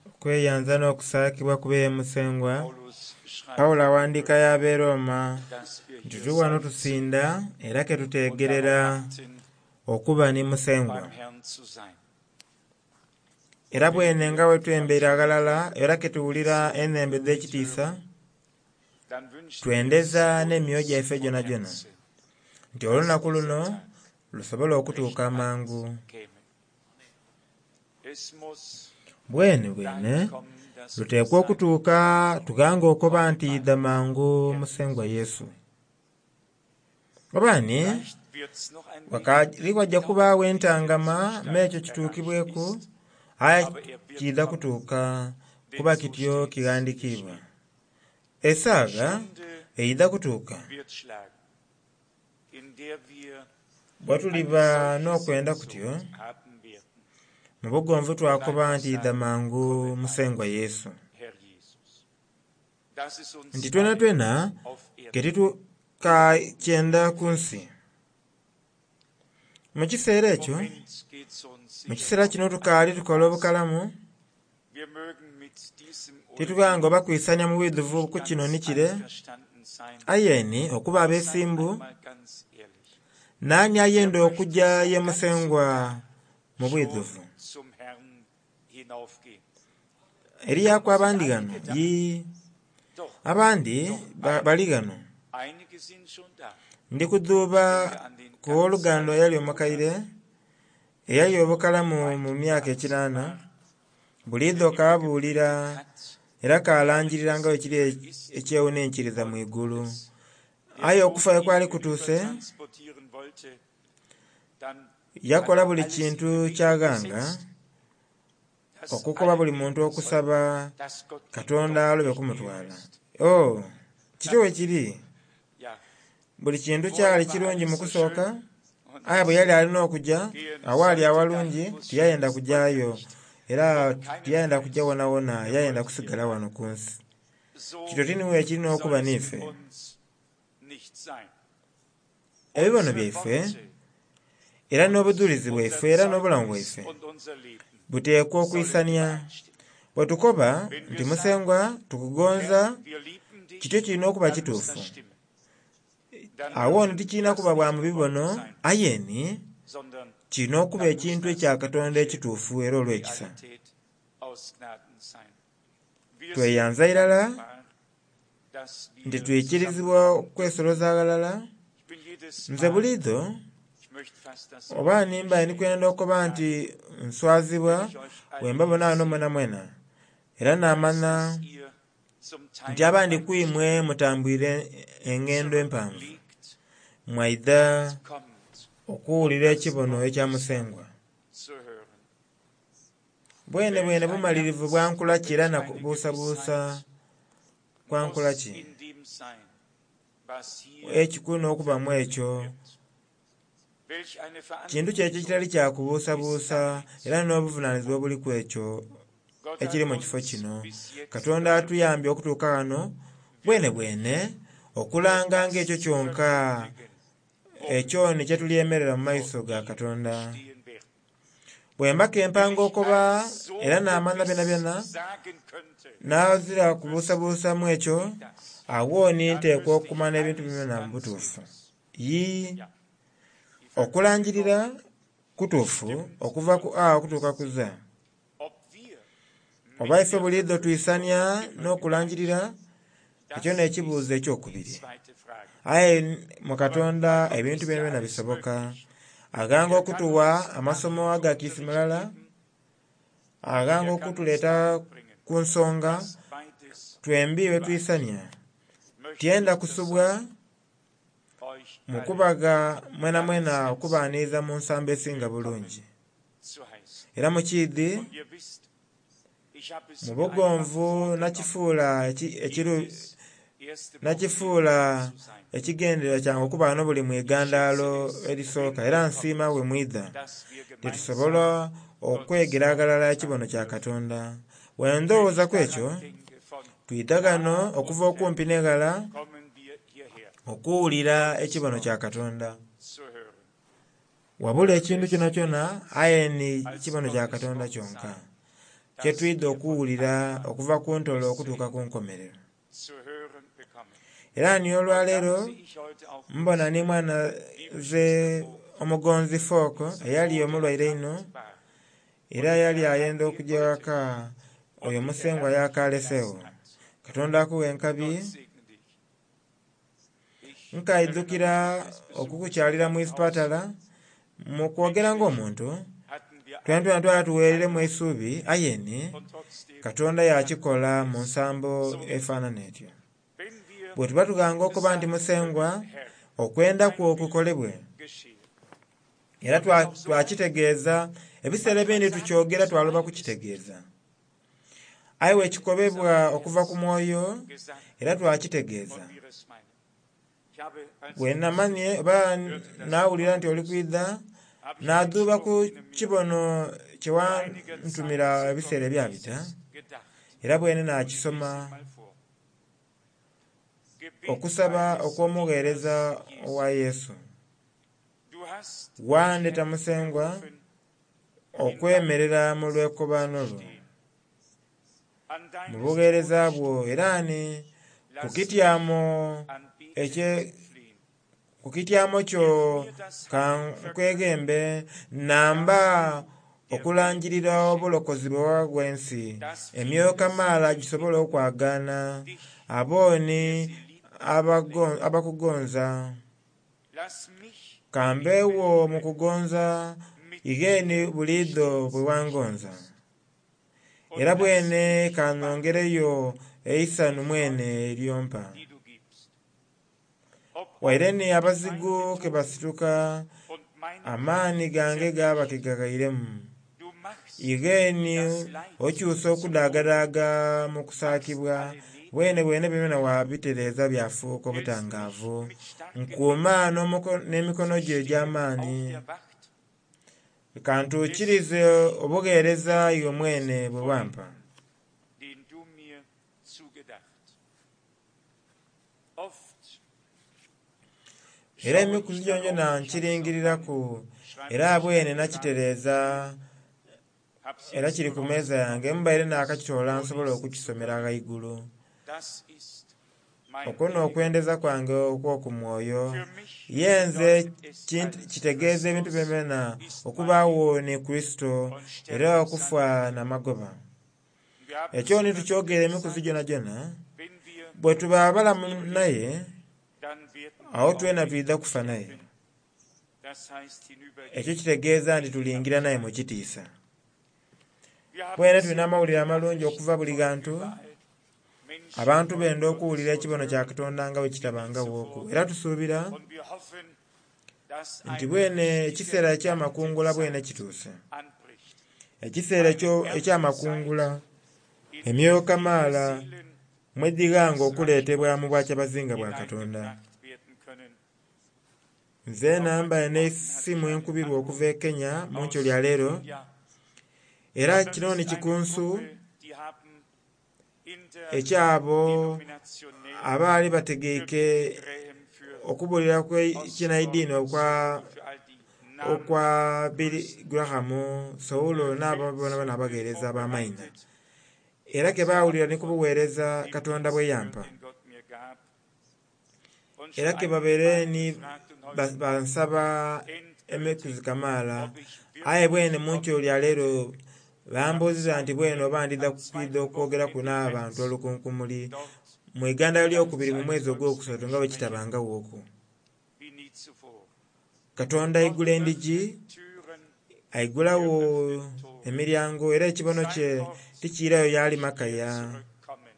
Okweyanza n'okusaakibwa kube ye Musengwa. Paulus schreibt, Pawulo awandiika y'ab'e Roma dass wir nti hier tuli wano sind tusinda era und ketuteegerera darauf warten, okuba ni Musengwa. beim Herrn zu sein. Era bwene nga bwe twembeire aghalala era ketuwulira enhembo edh'ekitiisa, Dann wünschen wir twendeza es n'emyoyo uns gyaife von gyonagyona Herzen, nti olunaku dass dieser luno Tag lusobole okutuuka recht amangu. bald käme. Es muss Bwene bwene dahin kommen, dass wir luteekwa sagen, okutuuka tughange okuba nti idha mangu Musengwa Yesu. Oba ni vielleicht wird's noch ein wenig ghakali ghajja dauern, kubaagho ehe der entangama Zustand m'ekyo erreicht kituukibweku ist, aye aber er wird kiidha kommen, kutuuka denn kuba so kityo steht's kighandikiibwa. geschrieben. Esaaga Stunde eidha kutuuka wird schlagen, in der wir bwe eine tuliba solche n'okwenda kutyo Sehnsucht haben werden. mu bugonvu twakoba Bleibt nti idha sagen, mangu komme bald, Musengwa Yesu. Herr Jesus. Das ist uns Nti twena allen twena auf Erden ketitukakyenda ku nsi. Mu kiseera Im ekyo, Moment geht's uns mu sicher kiseera noch kino tukaali tukola einigermaßen. obukalamu, Wir mögen mit diesem oder titughange jenem oba kwisania mu bwidhuvu nicht ku kino ganz ni kire, einverstanden sein. aye ni okuba Doch seid abeesimbu, einmal ganz ehrlich. naani Wer ayenda möchte okujja so ye ganz und Musengwa gar mu schon bwidhuvu? zum Herrn hinaufgehen? Eriyaku Schon sind abandi ghano einige da. yii Doch, abandi doch bali einige. ghano. Einige sind schon da. Ndi Ich kudhuuba denke an den ku ganz wooluganda eyali alten omukaire Bruder, eyali der obukalamu weit mu über myaka 80 ekinaana, war, buliidho der immer kaabuulira gepredigt hat, era wie kaalangiriranga alles ekiri möglich ist ekyewuninkiriza mu und igulu. alles. Der Aye Tod okufa ihn kwali kutuuse, hinübertransportieren wollte, dann hat yakola er buli alles in kintu Bewegung ky'aghanga gesetzt, dass okukoba alle buli muntu beten sollten, okusaba dass Gott ihn Katonda doch alobe nicht nehmen kumutwala. lässt. Oh, kityo Ja, bwe kiri. ja, Buli kintu vorher kyali war kirungi mu alles so kusooka, schön und aye bwe als yali er alina okujja, gehen awaali sollte, dahin, awalungi wo es schön tiyayenda ist, wollte er kujaayo nicht. era Und keinen tiyayenda kujja Preis, wonawona, er yayenda wollte hier kusigala wano bleiben. ku nsi. Kityo So tiniwe ekirina soll okuba es mit n'ife. uns nicht sein. Ebibono Unsere byaife Worte era und n'obudhulizi unser bwaife era n'obulamu Zeugnis bwaife und unser Leben buteekwa sollen okwisania. übereinstimmen. Bwe tukoba Wenn nti wir sagen, Musengwa tukugonza, Herr, wir lieben kityo dich, kirina okuba dann muss das kituufu. stimmen. Dann Awo ono dürfen tikirina das kuba bwa nicht mu nur Worte bibono, sein, aye ni sondern kirina okuba dann muss ekintu das ekya Katonda wirkliche ekituufu era olw'ekisa. Realität aus Gnaden sein. Wir sind Tweyanza irala dankbar, dass nti wir twikirizibwa zusammenkommen okwesoloza aghalala. Ich bin jedes Nze Mal, buliidho ich möchte fast das oba Wort nimba ndi kwenda beschämt okuba nti sagen, nswazibwa wenn ich euch bwe alle mba hier bona ghano sehe. mwena mwena. Era Ich weiß, naamanya dass ihr zum nti Teil abandi weit ku imwe mutambwire engendo empanvu, zurückliegt mwaidha und kommt, um okuwulira das ekibono Wort ekya des Herrn Musengwa. zu hören. Bwene Welch bwene ein bumalirivu Herz, bwa nkola ki era welch na eine kubuusabuusa Gewissheit kwa nkola muss ki? in dem sein, was hier Ekikulu n'okubamu verkündigt ekyo wird. Welch eine kintu kyekyo ekitali Verantwortung kya ist kubuusabuusa damit era n'obuvunaanyizibwa obuliku ekyo Gott ekiri hat mu kifo uns kino. bis jetzt Katonda geholfen, atuyambye okutuuka ghano bwene bwene wirklich nur okulanga ng'ekyo das zu kyonka verkündigen, ekyo womit ni kye tulyemerera mu wir vor maiso ga ihm Katonda. stehen werden. Bwe mbaka Wenn empanga ich okuba eins so era n'amanya gewiss byonabyona sagen könnte, n'azira wüsste kubuusabuusamu ekyo, ich das, awo ni dann nteekwa wüsste ich okumanya ebintu alles byonna mu ganz butuufu. gewiss. Yii Ja, die Verkündigung okulangiririra kutuufu stimmt okuva ku und A okutuuka ku ist. Z. Ob wir Oba mit ife der buliidho Verkündigung twisania immer n'okulangirira, übereinstimmen, ekyo das n'ekibuuzo ist die ekyokubiri. zweite Frage. Aye mu Aber Katonda bei Gott ebintu ist ja byonabyona alles bisoboka. möglich. Aghanga Er kann okutuwa uns amasomo damit aga kiisi Unterricht mulala, geben, aghanga er kann uns okutuleeta dahin bringen, ku nsonga dass beides twembi bwe twisania. übereinstimmt. Möchte Tyenda ich kusubwa das euch mu alle kubaga mwena ganz mwena okubaaniriza herzlich mu nsambo esinga willkommen bulungi. zu heißen. Era mu kiidhi Und ihr wisst, ich habe es mu mir einfach bugonvu vorgenommen, nakifuula eki- ekiru jedes erste Wochenende nakifuula zu sein. ekigendererwa kyange okuba ghano buli Ich schätze mwigandaalo es, erisooka wenn era ihr nsiima kommt, bwe mwidha dass wir tetusobola gemeinsam Gottes okwegera Wort aghalala ekibono empfangen kya dürfen. Katonda. Bwe Wenn ich ndowooza ku ekyo, daran denke, von twidha ghano nah okuva und okumpi fern n'eghala kommen wir hierher, okuwulira Gottes ekibono kya Wort Katonda. zu hören. Wabula Möge ekintu es kyonakyona nichts aye ni als kibono kya Gottes Katonda Wort kyonka. sein. kye das twidha wir von okuwulira Anfang okuva ku ntolo bis zu okutuuka ku Ende nkomerero. zu hören bekommen. Era ni Und dann olwaleero sehe ich heute auch mbona ni unsere mwana liebe ze Schwester Vogt, omugonzi Fooko die so eyali tot omulwaire einho erkrankt war era und der yali Herr hat ayenda ihr okujja heute waka oyo und in der Musengwa Herrlichen y'akaleseewo. gelassen hat. Katonda akuwa enkabi. Gott segne dich. Ich erinnere Nkaidhukira mich des Besuches okukukyalira im mu Krankenhaus. isipatala mu kwogera ng'omuntu Hatten wir twena alle twena twala tuweereremu Zweifel eisuubi ayeni und trotzdem Katonda yakikola hat mu es nsambo so efaanana etyo. Wenn wir Bwe tuba tuganga okuba nti sagen Musengwa können, Herr, okwenda dein kwo Wille kukolebwe geschehe. era Und es auch so einfach. twakitegeeza ebiseera ebindi Manchmal sagen wir tukyogera so twaloba meint es nicht. kukitegeeza aye Wenn wekikolebwa unser okuva ku Herz mwoyo gesandt era twakitegeeza. und wir es meinen. Ich habe, als Bwe ich namanye oba hörte, dass du naawulira kommen nti oli wirst, kwidha habe ich einen naadhuuba ku Spruch, den er mir kibono kye vor einiger Zeit wantumira ebiseera zukommen ebyabita ließ, gedacht. era bwene Und ich lese naakisoma ihn mal vor. Gebet okusaba eines okw'omugheereza Dieners Jesu. owa Yesu. Du hast mich, Wandeta Herr, Musengwa gerufen, in deinem okwemerera mu Dienst lwekobaano zu lwo stehen. An mu deines bugheereza Thrones bwo Stuhl era ni ku lass mich kityamo ekye anbetend fliehen. ku kityamo kyo Wirf mir das ka Heil verkünden, nkwegembe namba das du der Welt okulanjirira geschenkst, obulokozi bwe wagwa ensi dass emyoyo viele kamaala sehen gisobole mögen, okwagaana dich, abooni der sie liebt und nennt. abakugonza Lass mich kambeewo mu lebendig kugonza mit igheeni dir buliidho bwe stets wangonza stehst. Und era lass bwene mich kanongereyo wandeln eisanu in mwene Freude, eryompa die du gibst. Ob waire auch ni die abazigu Feinde ke toben basituka und meine amaani Kraft gange gaba ke zerbricht, gaghairemu du machst igheeni das Leid okyusa zu Lohn, okudaagadaga mu machst kusaakibwa alle bwene Nebel bwene byona wabitereeza byafuuka hältst mich obutangaavu mit starken nkuuma Händen n'emikono zu gyo stehen auf egy'amaani der Wacht, kantuukirize bis ich obugheereza den iwe mwene Dienst bwe wampa. vollenden, den du mir zugedacht. Oft Era schaue ich emikuzi gyongyona darauf, ich habe es auf meinem nkiringiriraku era Schreibtisch bwene eingetragen, nakitereeza hab's era jetzt kiri nur ku meeza yange rausgenommen, mbaire um es naakakitoola nsobole vorlesen zu okukisomera können. ghaigulu. Das ist mein Okwo inniger n'okwendeza kwange okw'oku mwoyo Für mich ye nze bedeutet es als kitegeeza ebintu Christus byonna ist mein okubaawo Leben ni Kristo und era Sterben sein okufa Gewinn. n'amagoba. Wir haben Ekyo es ni immer wieder tukyogera emikuzi gesagt, gyonagyona wenn wir bwe tuba mit abalamu ihm leben, naye dann werden awo wir auch twena mit twidha ihm kufa naye. sterben. Das heißt Ekyo hinübergehen kitegeeza nti in die tulingira naye mu Herrlichkeit. kitiisa. Wir haben Bwene sehr tulina amawulire gute amalungi Nachrichten okuva buli von ghantu überall. Menschen abantu wollen benda Gottes okuwulira Wort ekibono kya hören Katonda nga bwe wie nie kitabangawo zuvor. era tusuubira Und wir hoffen, dass nti eine bwene richtige ekiseera ekyamakungula bwene Erntezeit kituuse. anbricht. Ekiseera Eine Erntezeit, ekyamakungula in emyoyo der viele kamaala Seelen mweddighanga in das Reich okuleetebwa mu Gottes bwakyabazinga bwa Katonda. hineingebracht werden können. Nze Auch nambaye heute Morgen hatte ich n'essimu einen enkubirwa Anruf okuva e Kenya mu nkyo aus lya leero Kenia. era Und das kino ni ist eine kikunsu Gruppe, die haben in der ekyabo denominationellen abaali für bategeike Billy Graham, für okubuulira kw'ekinaidiini Osborne, okwa für all die Namen okwa Billy größten Graham, Sawulo n'abo boonabona abaweereza ab'amaina vorbereitet era und ke sie baawulira haben ni von kubuweereza dem Katonda Dienst bwe gehört, yampa den Gott mir gab. Und era schon ke einige babeere Male ni gefragt und heute bansaba Morgen emikuzi endgültig, kamaala ob ich aye wirklich bwene mu nkyo kommen lya leero könnte. Am bambuuziza nti bwene oba zweiten, ndidha am kwidha zweiten okwogeraku Wochenende n'abantu März olukunkumuli dort mu Iganda lyokubiri mu gleich zu mwezi einem ogwokusatu nga bwe Volksmenge kitabangawo okwo. wie nie zuvor. Katonda Gott aigula endigi öffnet Türen, aigulawo öffnet Tore. emiryango era ekibono Sein kye Wort tikiirayo wird y'ali nicht mehr makaya zurückkommen.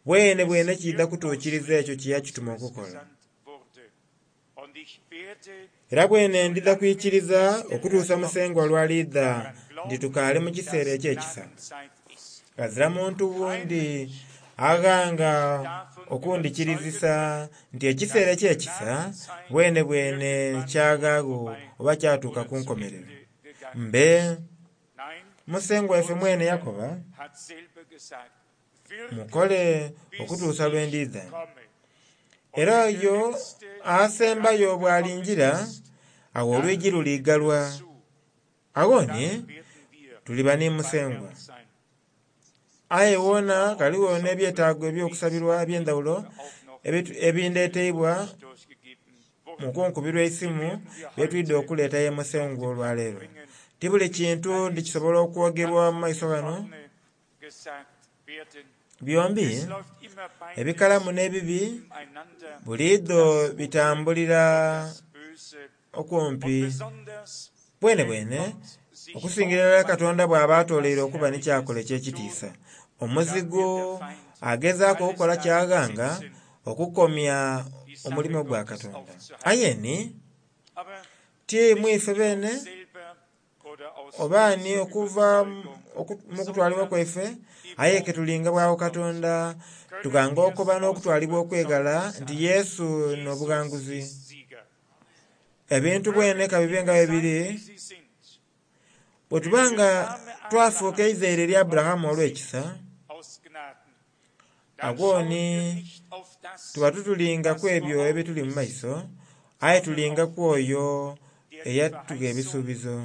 bwene Es bwene kiidha wird kutuukiriza ekyo ausrichten, kye yakituma wozu es okukola. gesandt wurde. Und ich werde, Era bwene ndidha solange kwikiriza bis der Herr okutuusa kommt, Musengwa lw'aliidha daran nti glauben, tukaale mu kiseera dass eky'ekisa. Gnadenzeit ist. Ghazira muntu Kein wundi Mensch wird aghanga mich davon überzeugen okundikirizisa können, nti ekiseera dass die eky'ekisa Gnadenzeit bwene bwene irgendwann kyagaagho vorbei oba kyatuuka oder ku zu nkomerero. Ende gegangen Mbe ist. Nein, Musengwa waife unser mwene Herr yakoba hat selber gesagt, wirket mukole bis okutuusa lwe ich ndidha. komme. Und Era wenn der oyo Letzte asembayo herangekommen bw'alingira ist, awo dann olwigi wird die Tür luliigalwa zu. awo Dann ni werden wir tuliba ni beim Musengwa. Herrn sein. Aye wona ghaligho n'ebyetaago eby'okusabirwa eby'endhawulo ebindeteibwa mu kunkubirwa eisimu byetwidha okuleeta ye Musengwa olwaleero. Ti buli kintu nti kisobola okwogerwa mu maiso ghano. Byombi ebikalamu n'ebibi buliidho bitambulira okumpi bwenebwene okusingira irala Katonda bw'aba atoleire okuba ni kyakola eky'ekitiisa. Omuzigu agezaaku okukola kyaghanga okukomya omulimo gwa Katonda. Aye ni ti mwife beene oba ni okuva mu kutwalibwa kwaife, aye ke tulinga bwagho Katonda tughanga okuba n'okutwalibwa okweghala nti Yesu n'obughanguzi. Ebintu bwene kabibe nga bwe biri, bwe tuba nga twafuuka eizaire erya Aburahamu olw'ekisa, agho ni tuba titulinga ku ebyo ebituli mu maiso, aye tulinga ku oyo eyatugha ebisuubizo.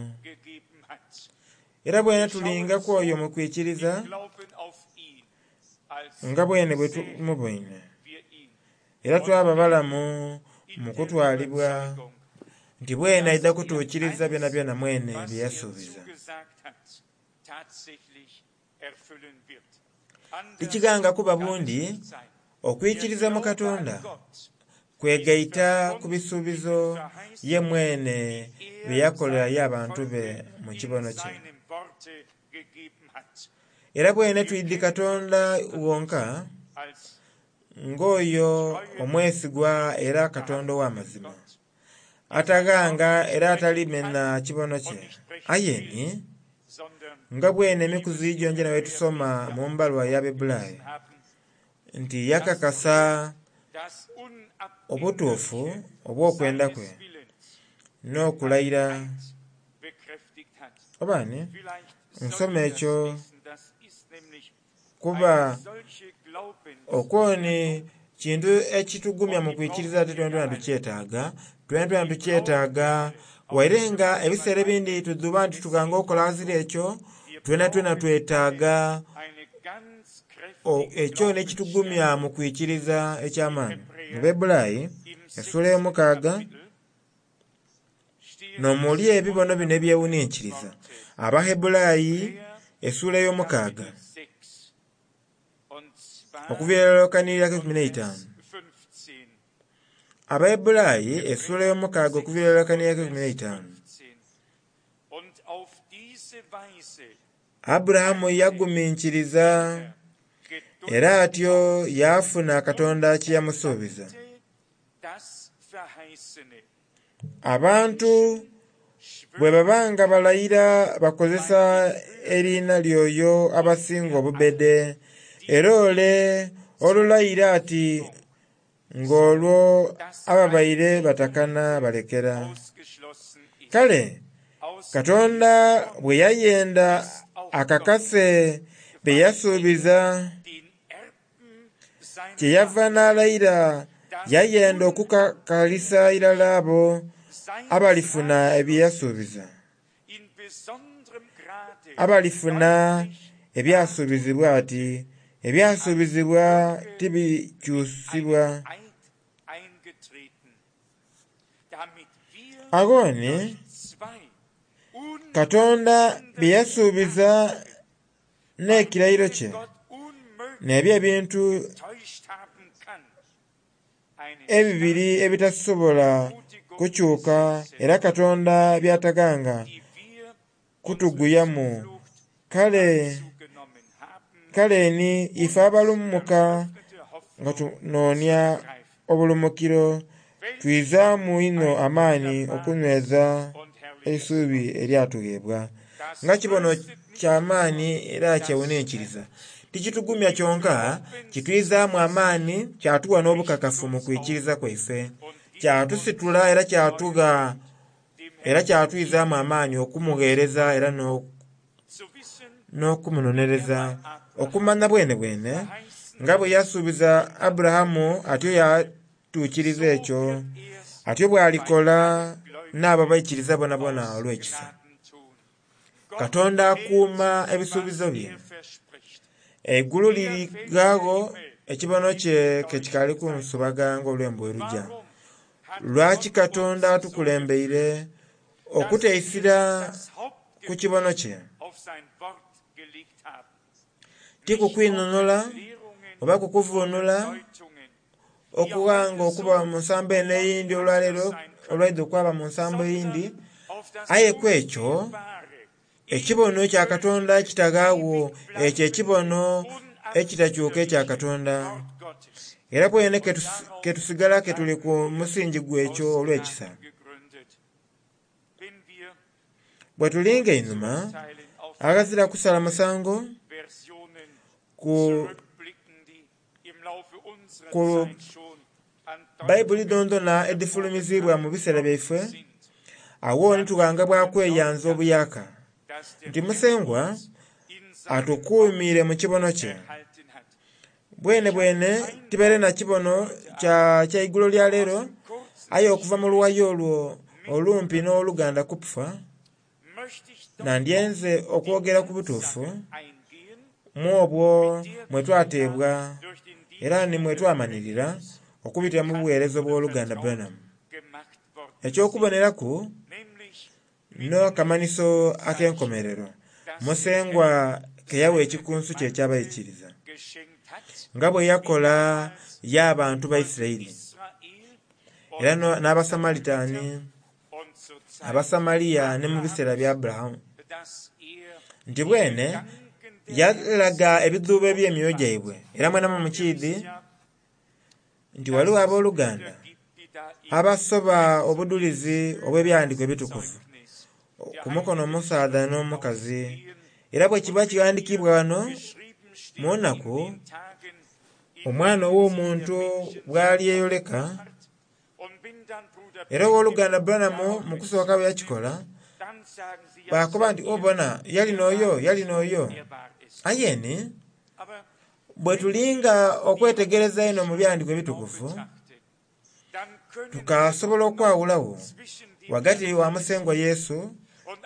Era bwene tulinga ku oyo mu kwikiriza nga bwene bwe tumuboine. Era twaba balamu mu kutwalibwa nti bwene aidha kutuukiriza byonabyona mwene bye yasuubiza. Tikighanga kuba bundi okwikiriza mu Katonda kwegaita ku bisuubizo ye mwene bye yakolera ye abantu be mu kibono kye. Era bwene twidhi Katonda wonka ng'oyo omwesigwa era Katonda ow'amazima, ataghanga era atalimena kibono kye. Aye ni nga bwene emikuzi gyongyona bwe tusoma mu mbalwa y'Abebulaaya nti yakakasa obutuufu obw'okwenda kwe n'okulayira oba ni nsoma ekyo kuba okwo ni kintu ekitugumya mu kwikiriza ate twenatwena tukyetaaga, twenatwena tukyetaaga waire nga ebiseera ebindi tudhuba nti tughanga okukola ghazira ekyo, twenatwena twetaaga ekyo n'ekitugumya mu kwikiriza eky'amaani. Mu Bebulaayi essuula ey'omukaaga n'omuli ebibono bino ebyewuninkiriza. Abahebulaayi essuula ey'omukaaga okuviira irala okaniriraku 15. Abahebulaayi essuula ey'omukaaga okuviira irala okaniriraku 15. Aburahamu yaguminkiriza era atyo yaafuna Katonda kye yamusuubiza. Abantu bwe baba nga balayira bakozesa eriina ly'oyo abasinga obubbede, era ole olulayira ati ng'olwo ababaire batakana balekera. Kale Katonda bwe yayenda akakase bye yasuubiza, kyeyava n'alayira yayenda okukakalisa irala abo abalifuna bye yasuubiza, abalifuna ebyasuubizibwa ati ebyasuubizibwa tibikyusibwa. Agho ni Katonda bye yasuubiza n'ekirayiro kye n'ebyo ebintu ebibiri ebitasobola kukyuka era Katonda by'ataghanga kutuguyamu. Kale kale ni ife abalumuka nga tunoonia obulumukiro twizaamu inho amaani okunyweza eisuubi eryatugheebwa. Nga kibono ky'amaani era kyewuninkiriza. Tikitugumya kyonka, kitwizaamu amaani kyatugha n'obukakafu mu kwikiriza kwaife. Kyatusitula era kyatugha era kyatwizaamu amaani okumugheereza era n'okumunonereza. Okumanya bwenebwene nga bwe yasuubiza Aburahamu atyo yatuukiriza ekyo, atyo bw'alikola n'abo abaikiriza bonabona olw'ekisa. Katonda akuuma ebisuubizo bye. Eigulu liri ghagho ekibono kye kekikali kunsubaga nga olwembo bwelugya. Lwaki Katonda atukulembeire okuteisira ku kibono kye? Ti ku kwinhonhola oba ku kuvunula okughanga okuba mu nsambo eno eyindhi olwaleero olwaidho kwaba mu nsambo eyindhi, aye kwekyo ekibono ekya Katonda ekitaghagho, ekyo ekibono ekitakyuka ekya Katonda. Era bwene ketusigala ketuli ku musingi gwekyo olw'ekisa. Bwetulinga einhuma aghazira kusala musango ku Baibuli dhondhona edhifulumizibwa mu biseera byaife, agho ni tughanga bwa kweyanza obuyaka nti Musengwa atukuumire mu kibono kye. Bwene bwene tibaire na kibono kya igulo lya leero, aye okuva mu luwayo olwo olumpi n'oluganda Kupfa, nandyenze okwogera ku butuufu mu obwo mwe twateebwa era ni mwe twamanhirira okubitira mu buweereza obw'oluganda Branham. Eky'okuboneraku n'akamanhiso ak'enkomerero, Musengwa ke yawa ekikunsu kye eky'abaikiriza, nga bwe yakola y'abantu ba Isiraeli era n'Abasamalitani, Abasamaliya ni mu biseera bya Aburahamu, nti bwene yalaga ebidhuubo eby'emyoyo gyaibwe. Era mwenamwe mukiidhi nti ghaligho abooluganda abasoba obudhulizi obw'ebyawandiikibwa ebitukuvu ku mukono omusaadha n'omukazi. Era bwe kiba kighandikiibwa ghano mu nnaku Omwana ow'Omuntu bw'alyeyoleka, era ow'oluganda Branham mu kusooka bwe yakikola, baakoba nti obona yali n'oyo, yali n'oyo. Aye ni bwe tulinga okwetegereza einho mu byawandiikibwa ebitukuvu, tukasobola okwawulagho ghagati wa Musengwa Yesu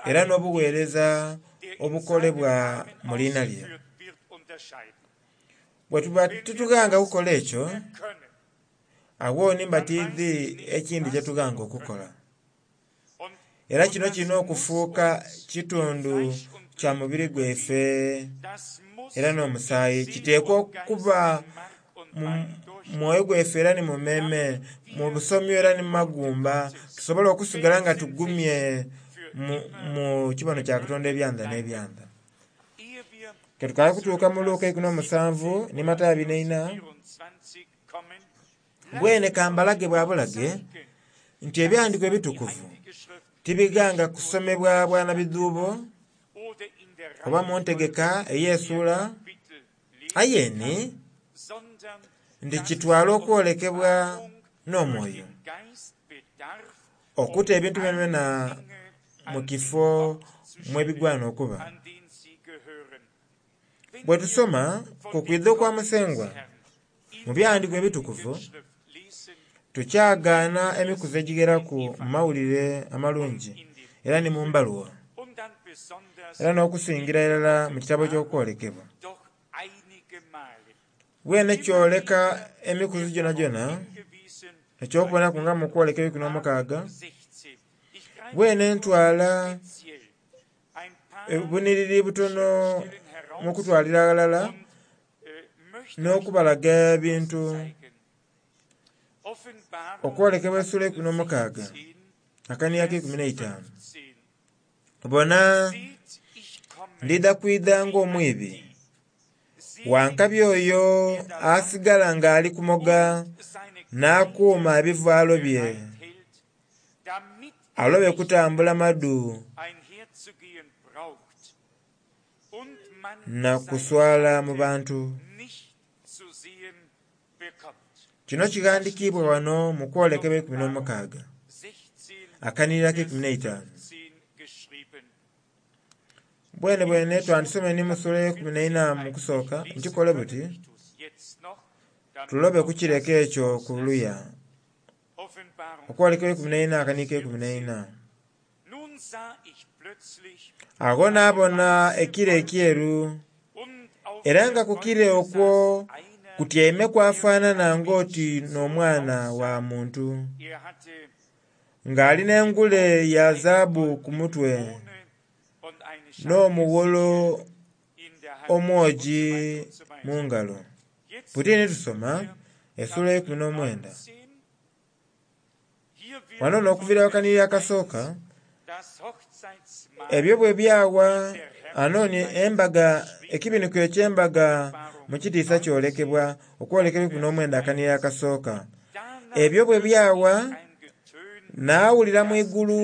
era n'obuweereza obukolebwa mu liina lye. Bwe tuba titughanga kukola ekyo, agho ni mba tiidhi ekindhi kyetughanga okukola. Era kino kirina okufuuka kitundu kya mubiri gwaife era n'omusaayi. Kiteekwa okuba mu mwoyo gwaife era ni mu mmeeme, mu busomyo era ni mu magumba, tusobole okusigala nga tugumye mu kibono kya Katonda ebyanda n'ebyanda. Ketukaali kutuuka mu Luka 17 ni Matayo 24, bwene kambalage bwa bulage nti ebyawandiikibwa ebitukuvu tibighanga kusomebwa bwana bidhuubo oba mu ntegeka ey'esuula, aye ni nti kitwala okwolekebwa n'omwoyo okuta ebintu byonabyona mu kifo mwebigwana okuba. Bwe tusoma ku kwidha okwa Musengwa mu byawandiikibwa ebitukuvu, tukyagaana emikuzi egigheraku mu mawulire amalungi era ni mu mbaluwa, era n'okusingira irala mu kitabo ky'okwolekebwa. Bwene kyoleka emikuzi gyonagyona, eky'okubonaku nga mu kwolekebwa eikumi n'omukaaga, bwene ntwala obunhiriri butono mu kutwalira aghalala n'okubalaga ebintu. Okwolekebwa esula 16 akaniya ak'eikumi n'eitaanu. Bona, ndidha kwidha ng'omwibi. Wankabi oyo asigala ng'ali kumoga n'akuuma ebivaalo bye, alobe kutambula madu na kuswala mu bantu. Kino kighandikiibwa ghano mu kwolekebwa 16 akanhiriro ak'eikumi n'eitaanu. Bwene bwene twandisomye ni mu sula ey'eikumi n'eina mu kusooka, nkikole buti tulobe kukireka ekyo ku luya. Okwolekebwa 14 akanhiriro ak'eikumi n'eina. Agho naabona ekire ekyeru. Era nga ku kire okwo kutyaimeku afaanana ng'oti n'omwana wa muntu, ng'ali n'engule ya zaabu ku mutwe n'omuwolo omwogi mu ngalo. Buti ni tusoma esula eyeikumi n'omwenda. Wano n'okuviira akanhiriri akasooka, ebyo bwe byawa anoni embaga ekibinhiko eky'embaga mu kitiisa kyolekebwa okwolekebwa 19 akanhiriri akasooka. Ebyo bwe byawa naawulira mu igulu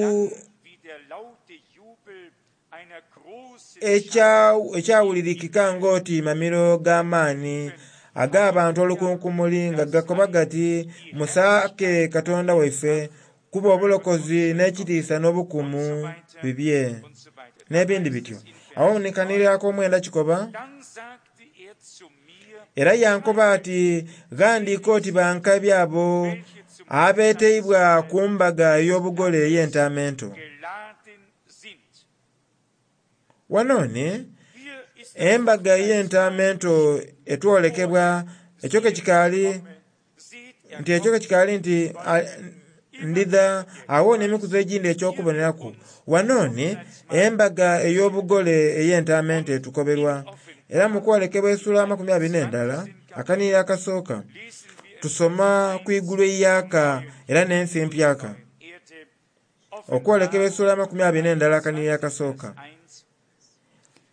ekyawulirikika ng'oti mamiro g'amaani ag'abantu olukunkumuli nga gakoba gati, musaake Katonda waife kuba obulokozi n'ekitiisa n'obukumu bibye, n'ebindi bityo. Agho ni kanhiriri ak'omwenda kikoba, era yankoba ati ghandiika oti bankabi abo abeeteibwa ku mbaga ey'obugole ey'entaama ento. Wano ni embaga ey'entaama ento etwolekebwa ekyo ke kikaali nti ekyo ke kikaali nti ndidha agho n'emikuzi egindi eky'okuboneraku. Wano ni embaga ey'obugole ey'entaama ento etukoberwa. Era mu kwolekebwa esula 21 akanhiriri akasooka tusoma ku igulu eiyaka era n'ensi empyaka. Okwolekebwa esula 21 akanhiriri akasooka.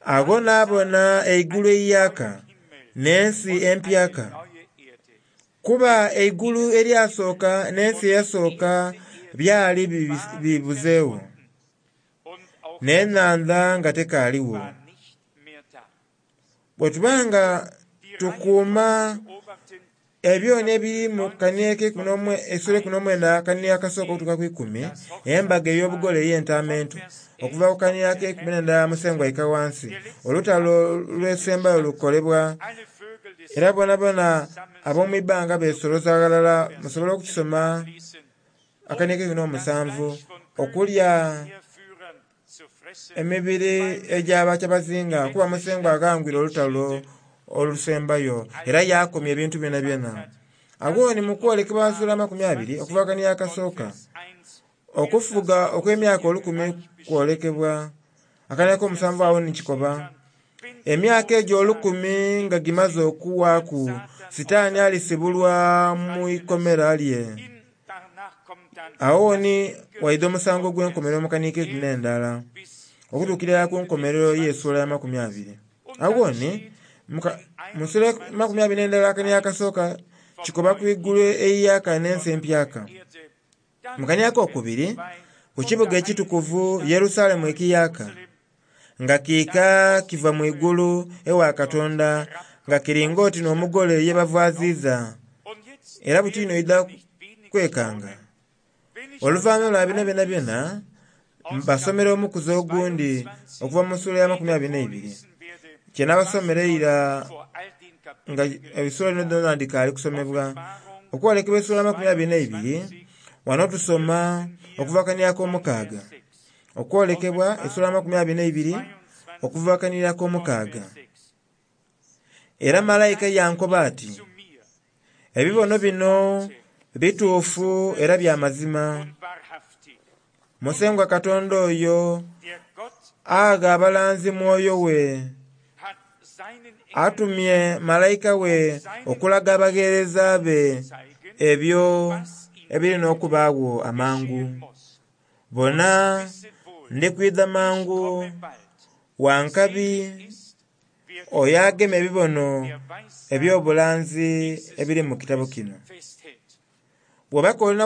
Agho naabona eigulu eiyaka n'ensi empyaka, kuba eigulu eryasooka n'ensi eyasooka byali bibuzeegho, n'enhandha nga tekaaligho. Bwe tuba nga tukuuma ebyoni ebiri mu esula 19 akanhiriri akasooka okutuuka ku ikumi, embaga ey'obugole ey'entaama ento, okuva ku kanhiriri ak'eikumi n'endala Musengwa aika ghansi, olutalo olwesembayo lukolebwa, era boonaboona ab'omu ibbanga beesoloza ghalala musobole okukisoma akanhiriri ak'eikumi n'omusanvu, okulya emibiri egy'abakyabazinga kuba Musengwa aghangwire olutalo olusembayo era yaakomya ebintu byonabyona. Agho ni mu kwolekebwa sula 20 okuva akanhiriri akasooka, okufuga okw'emyaka olukumi kwolekebwa. Akanhiriri ak'omusanvu agho ni kikoba, emyaka egyo olukumi nga gimaze okuwaaku, Sitaani alisibulwa mu ikomera lye. Agho ni waidha omusango ogw'enkomerero mu kanhiriri ak'eikumi n'endala okutuukira irala ku nkomerero y'esula ya 20. Agho ni mu sula 21 akanhiriri akasooka kikoba ku igulu eiyaka n'ensi empyaka. Mu kanhiriri ak'okubiri ku kibuga ekitukuvu Yerusalemu ekiyaka, nga kiika kiva mu igulu ewa Katonda nga kiri ng'oti n'omugole ye bavaaziiza. Era buti inho oidha kwekanga. Oluvannyuma lwa bino byonabyona, mbasomera omukuzi ogundi okuva mu sula ya 22, kye nabasomera eira nga esula dhino dhoonadhoona dhikaali kusomebwa. Okwolekebwa esula 22, wano tusoma okuva akanhiriri ak'omukaaga. Okwolekebwa esula 22 okuva akanhiriri ak'omukaaga. Era malaika yankoba ati, ebibono bino bituufu era bya mazima. Musengwa Katonda oyo agha abalanzi Mwoyo we, atumye malaika we okulaga abagheereza be ebyo ebiri n'okubaagho amangu. Bona, ndi kwidha mangu, wa nkabi oyo agema ebibono eby'obulanzi ebiri mu kitabo kino. Bw'oba k'olina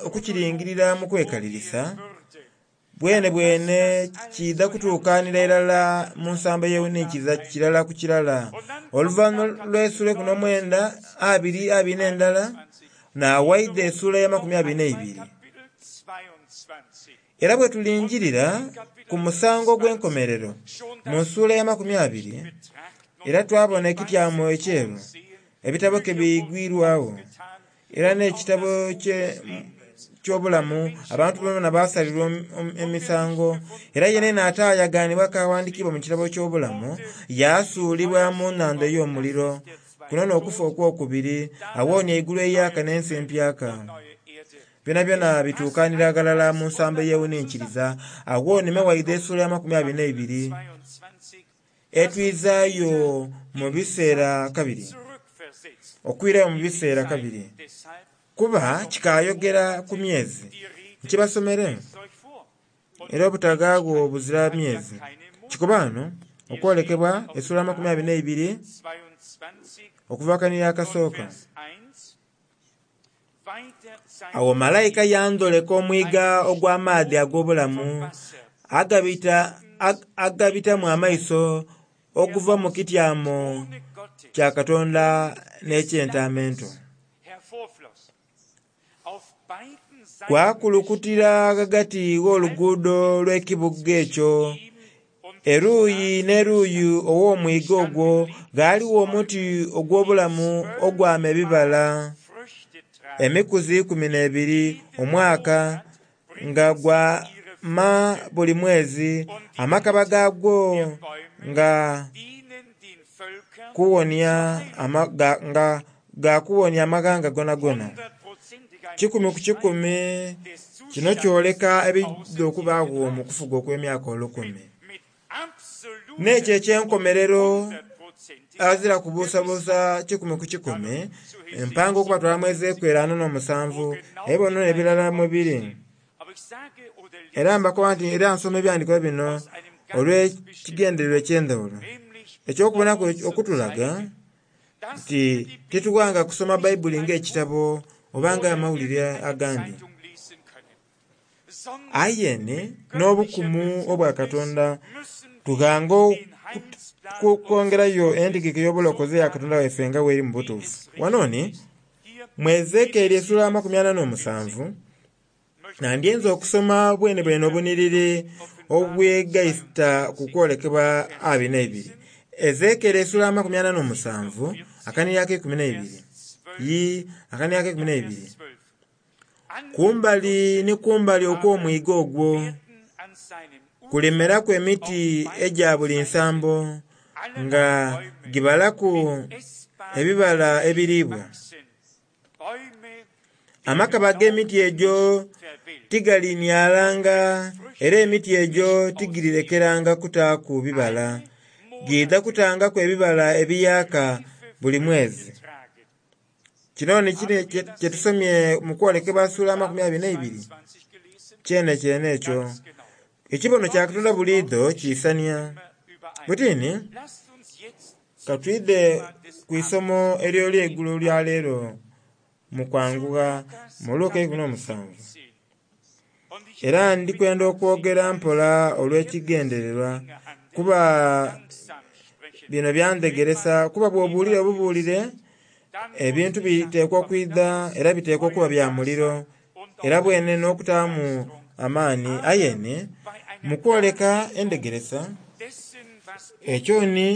okukiringirira mu kwekalirisa, bwenebwene kiidha kutuukanira irala mu nsambo ey'ewuninkiriza kirala ku kirala. Oluvannyuma lw'esula 19, abiri, abiri n'endala, naawaidha esula ya 22. Era bwe tulingirira ku musango ogw'enkomerero mu nsula ya 20, era twabona ekityamo ekyeru, ebitabo ke biigwirwagho, era n'ekitabo ky'obulamu abantu bonabona baasalirwa emisango. Era yenayena ataayagaanibwa kawandiikibwa mu kitabo ky'obulamu yaasuulibwa mu nnhandha ey'omuliro. Kuno n'okufa okwokubiri, awonia eigulu eiyaaka n'ensi empyaka. Byonabyona bituukanira ghalala mu nsambo eyewuninkiriza. Agho ni mewaidha essuula ya 22 etwizaayo mu biseera kabiri, okwirayo mu biseera kabiri, kuba kikaayogera ku myezi. Nkibasomere era obutagaagho buzira myezi. Kikuba ghano okwolekebwa essuula 22 okuva kanira akasooka. Awo malayika yandholeka omwiga ogw'amaadhi ag'obulamu agabitamu amaiso oguva mu kityamo kya Katonda n'eky'Entaama Ento. Gwakulukutira ghagati gh'oluguudo lw'ekibuga ekyo. Eruuyi n'eruuyi ow'omwiga ogwo ghaligho omuti ogw'obulamu ogwama ebibala emikuzi 12 omwaka, nga gwama buli mwezi, amakaba gaagwo nga ga kuwonia amaghanga gonagona. 100 ku 100 kino kyoleka ebidha okubaagho mu kufuga okw'emyaka olukumi. N'ekyo eky'enkomerero azira kubuusabuusa 100 ku 100 mpanga okubatwala mu Ezekieli 47 ebibono n'ebirala mwe biri. Era mbakoba nti era nsoma ebyandiikibwa bino olw'ekigendererwa eky'endhaghulo eky'okubonaku okutulaga nti titughanga kusoma Baibuli ng'ekitabo oba ng'amawulire agandi. Aye ni n'obukumu obwa Katonda tughanga okwongerayo entegeka ey'obulokozi eya Katonda waife nga bw'eri mu butuufu. Wano ni mu Ezekieli essuula 47 nandyenze okusoma bwenebwene obunhiriri obwegaita ku kwolekebwa 22. Ezekieli essuula 47 akanhiriri ak'eikumi n'eibiri yi akanhiriri ak'eikumi n'eibiri. Kumbali ni kumbali okw'omwiga ogwo kulimeraku emiti egya buli nsambo nga gibalaku ebibala ebiriibwa. Amakaba ag'emiti egyo tigalinialanga era emiti egyo tigirirekeranga kutaaku bibala. Giidha kutangaku ebibala ebiyaaka buli mwezi. Kino ni kino kyetusomye mu kwolekebwa sula 22 kyene kyene ekyo. Ekibono kya Katonda buliidho kiisania. Butini katwidhe ku isomo ery'olweigulo lya leero mu kwangugha mu Luka 17. Era ndikwenda okwogera mpola olw'ekigendererwa kuba bino byandhegeresa kuba bw'obuulire obubuulire ebintu biteekwa okwidha era biteekwa okuba bya muliro era bwene n'okutaamu amaani. Aye ni mu kwoleka endhegeresa ekyo ni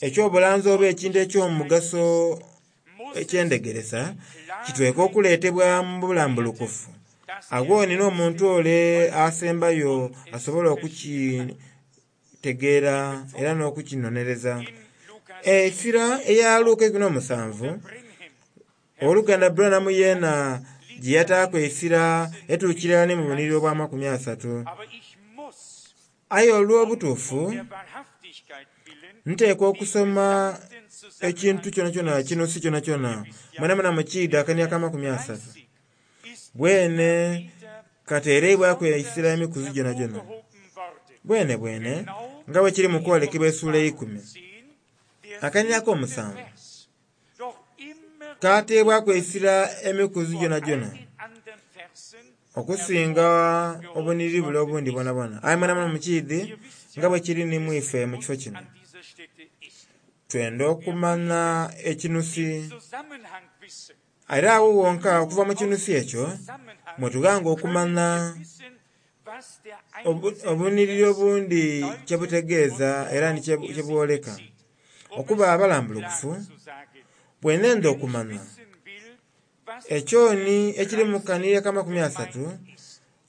eky'obulanzi oba ekintu eky'omugaso eky'endhegeresa kitweka okuleetebwa mu bulambulukufu. Agho ni n'omuntu ole asembayo asobola okukitegeera era n'okukinonereza. Esira eya Luka 17 oluganda Branham yeena gye yataaku esira etuukira ni mu bunhiriri obwa 30. Aye olw'obutuufu nteekwa okusoma ekintu kyonakyona kinusi kyonakyona mwenamwena mukiidha akania ka 30. Bwene kateereibwaku esira emikuzi gyonagyona. Bwene bwene nga bwe kiri mu kwolekebwa essuula eikumi. Akanira ak'omusanvu kateebwaku esira emikuzi gyonagyona okusinga obunhiriri bule obundi bwonabwona. Aye mwenamwena mukiidhi nga bwe kiri ni mwife mu kifo kino. Twenda okumanya ekinusi era agho wonka okuva mu kinusi ekyo mwetughanga okumanya obunhiriri obundi kye butegeeza era ni kye bwoleka. Okuba abalambulukufu bwe nenda okumanya. Ekyoni ekiri mu kanhiriri aka-30,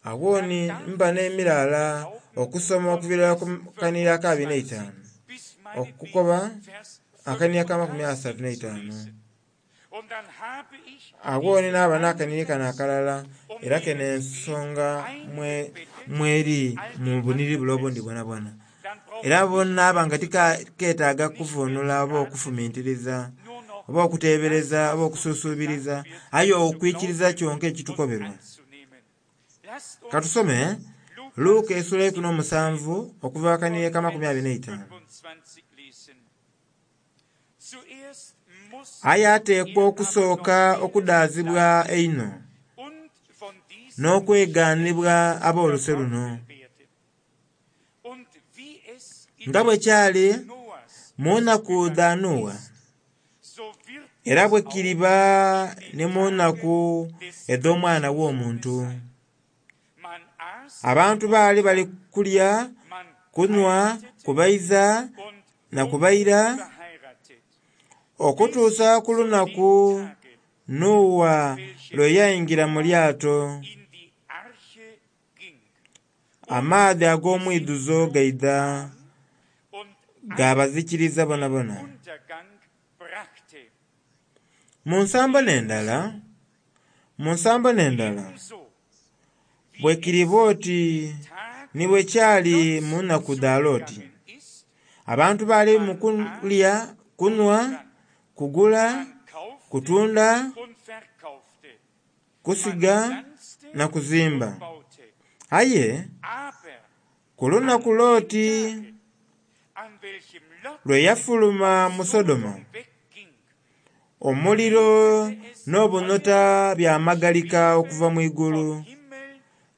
aghoni mba nh'emilaala okusoma okuviira ku kanhiriri aka-25 okukoba akanhiriri aka-35. Aghoni nhaba nh'akanhiriri kano akalala era keno ensonga mweri mu bunhiriri bule obundhi bwonabwona. Era bwenhaba nga tiketaaga kuvunhula oba okufumintiriza oba okutebereza oba okususubiriza, aye okwikiriza kyonka ekitukoberwa. Katusome Luka esula 17 okuva akanhiriri aka-25. Aye ateekwa okusooka okudaazibwa einho n'okwegaanibwa ab'oluse luno. Nga bwe kyali mu nnaku dha Nuuwa, era bwe kiriba ni mu nnaku edh'Omwana w'Omuntu. Abantu baali bali kulya, kunhwa, kubayiza na kubayira okutuusa ku lunaku Nuuwa lwe yaingira mu lyato, amaadhi ag'omwidhuzo gaidha gaabazikiriza bonabona. Mu nsambo n'endala, mu nsambo n'endala, bwe kiriba oti ni bwe kyali mu nnaku dha Loti. Abantu baali mu kulya, kunhwa, kugula, kutunda, kusiga na kuzimba. Aye ku lunaku Loti lwe yafuluma mu Sodoma, omuliro n'obunhota byamagalika okuva mu igulu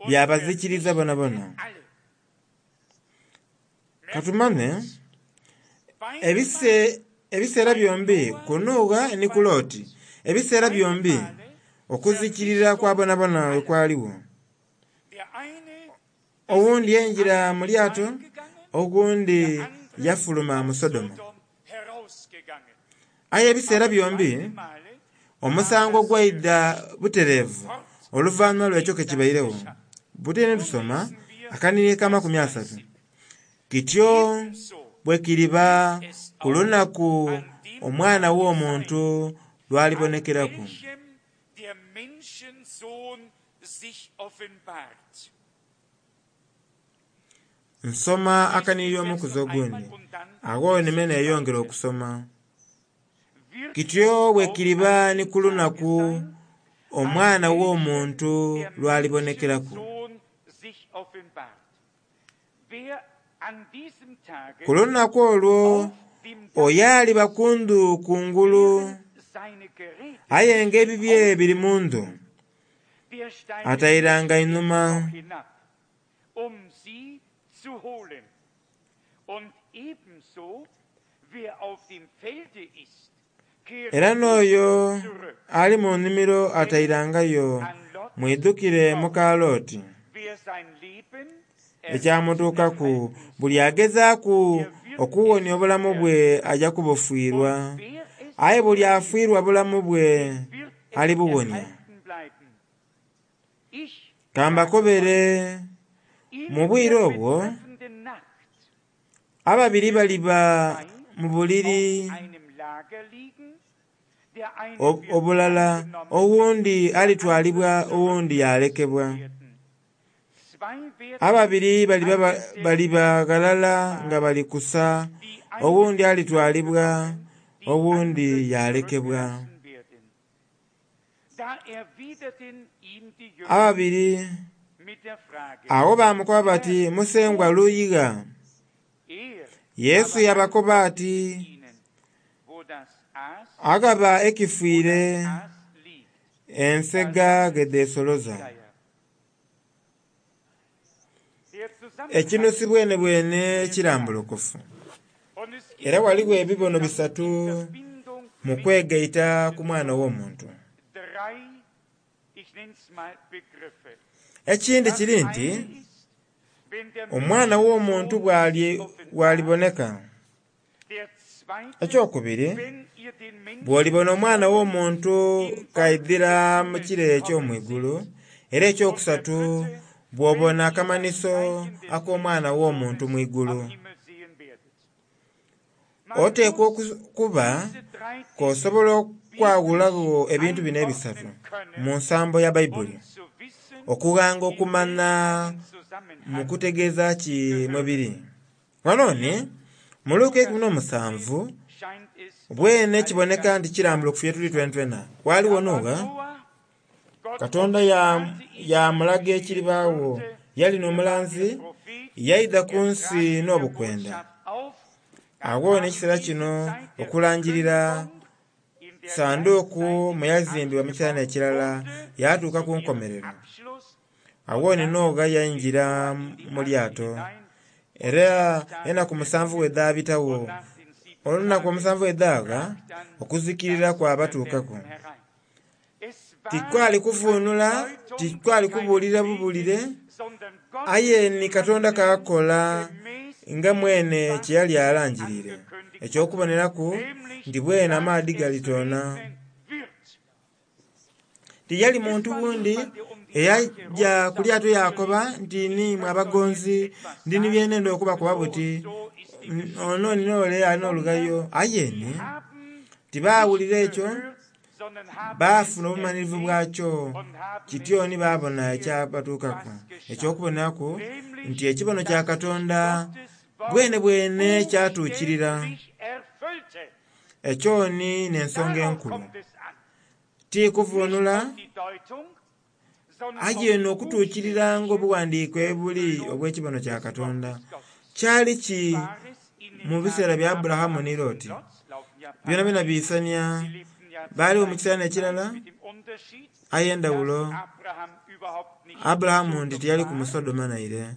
byabazikiriza bonabona. Katumane ebiseera byombi ku Nuuwa ni ku Loti, ebiseera byombi okuzikirira kwa bonabona bwe kwaligho. Owundi yaingira mu lyato, oghundhi yafuluma mu Sodoma. Aye ebiseera byombi omusango gwaidha butereevu oluvanhuma lw'ekyo ke kibairegho. Buti ni tusoma akanhiriri aka-30. Kityo bwe kiriba ku lunaku Omwana w'Omuntu lw'alibonekeraku. Nsoma akanhiriri omukuzi ogundi, agho ni me neyongera okusoma. Kityo bwe kiriba ni ku lunaku Omwana w'Omuntu lw'alibonekeraku. Ku lunaku olwo oyo aliba ku ndhu kungulu aye nga ebibye biri mu ndhu, atairanga inhuma. Era n'oyo ali mu nnhimiro atairangayo. Mwidhukire muka Loti. Ekyamutuukaku buli agezaaku okuwonia obulamu bwe aja kubufiirwa, aye buli afiirwa bulamu bwe alibuwonia. Ka mbakobere, mu bwire obwo ababiri baliba mu buliri obulala, owundhi alitwalibwa owundhi yaalekebwa. Ababiri baliba ghalala nga bali kusa, owundhi alitwalibwa owundhi yaalekebwa. Ababiri agho baamukoba bati, Musengwa luyi gha? Yesu yaabakoba ati, Aghaba ekifiire, ensega ghe dhesoloza. Ekinusi bwenebwene kirambulukufu. Era ghaligho ebibono bisatu mu kwegaita ku Mwana w'Omuntu. Ekindhi kiri nti Omwana w'Omuntu bw'aliboneka. Ekyokubiri, bw'olibona Omwana w'Omuntu k'aidhira mu kire eky'omu igulu. Era ekyokusatu, bw'obona akamanhiso ak'Omwana w'Omuntu mu igulu. Oteekwa okuba k'osobola okwawulagho ebintu bino ebisatu mu nsambo ya Baibuli, okughanga okumanha mu kutegeeza ki mwe biri. Ghano ni mu Luka 17 bwene kiboneka nti kirambulukufu ye tuli twenatwena. Ghaligho Nuuwa, Katonda yamulaga ekiribaagho. Yali n'omulanzi, yaidha ku nsi n'obukwenda. Agho n'ekiseera kino okulangirira sanduuku mwe yazimbibwa mu kiseera n'ekirala yatuuka ku nkomerero. Agho ni Noogha yaingira mu lyato, era enaku 7 bwe dhaabitagho, olunaku omusanvu bwe dhaagha, okuzikirira kwabatuukaku. Tikwali kuvuunula, tikwali kubuulira bubulire, aye ni Katonda k'akola nga mwene kye yali alangiriire. Eky'okuboneraku nti bwene amaadhi galitoona. Tiyali muntu wundi eyaja ku lyato yakoba nti niimwe abagonzi ndi ni bye nenda okubakoba buti ono ni n'ole alina olughayo. Aye ni tibaawulira ekyo, baafuna obumalirivu bwakyo kityo ni baabona ekyabatuukaku. Eky'okuboneraku nti ekibono kya Katonda bwene bwene kyatuukirira. Ekyo ni n'ensonga enkulu. Ti kuvuunula, aye n'okutuukirira ng'obughandiike buli obw'ekibono kya Katonda. Kyali ki mu biseera bya Aburahamu ni Loti? Byonabyona biisania. Baaliwo mu kiseera n'ekirala, aye endhawulo Aburahamu nti tiyaliku mu Sodoma naire,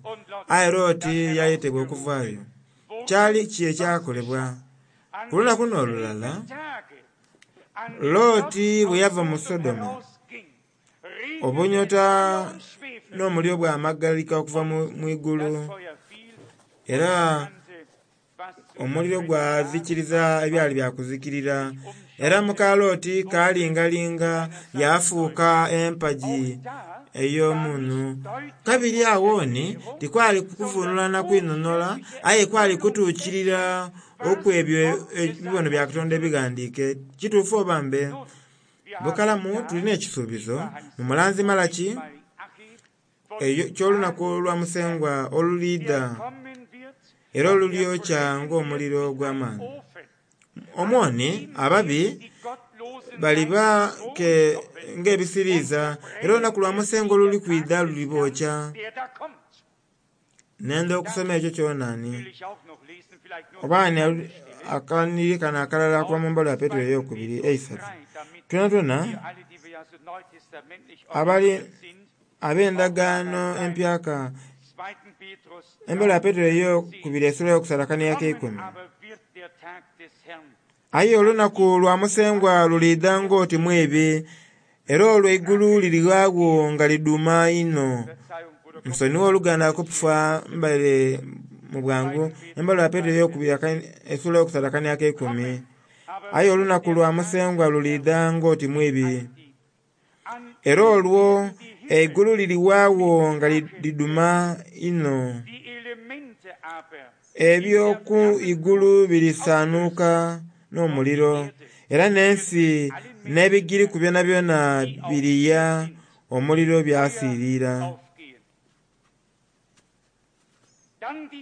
aye Loti yayetebwa okuvaayo. Kyali ki ekyakolebwa? Ku lunaku n'olulala, Loti bwe yava mu Sodoma, obunyota n'omuliro bwamagalika okuva mu igulu, era omuliro gwazikiriza ebyali bya kuzikirira. Era muka Loti kaalingalinga yaafuuka empagi ey'omunhu. Kabiri agho ni tikwali kuvuunula na kwinhonhola, aye kwali kutuukirira okw'ebyo ebibono bya Katonda ebighandiike. Kituufu oba mbe? Bukalamu tulina ekisuubizo mu mulanzi Malaki eky'olunaku olwa Musengwa oluliidha era olulyokya ng'omuliro ogw'amaani. Omwoni ababi baliba ng'ebisiriiza era olunaku lwa Musengwa oluli kwidha lulibookya. Nenda okusoma ekyo kyonani. Oba ni akanhiriri kano akalala okuva mu mbaluwa ya Petero ey'okubiri eisatu. Twonatwona abali ab'endagaano empyaka, embaluwa ya Petero ey'okubiri esula y'okusatu akaniya ak'eikumi. Aye olunaku lwa Musengwa luliidha ng'oti mwibi, era olwo eigulu lirighagho nga liduma inho. Nsonigha oluganda kufa mbaire mu bwangu. Embaluwa ya Petero ey'okubiri esula y'okusatu akaniya ak'eikumi. Aye olunaku lwa Musengwa luliidha ng'oti mwibi, era olwo eigulu lirighagho nga liduma inho. Eby'oku igulu birisaanuuka n'omuliro, era n'ensi n'ebigiriku byonabyona biriya omuliro byasiirira.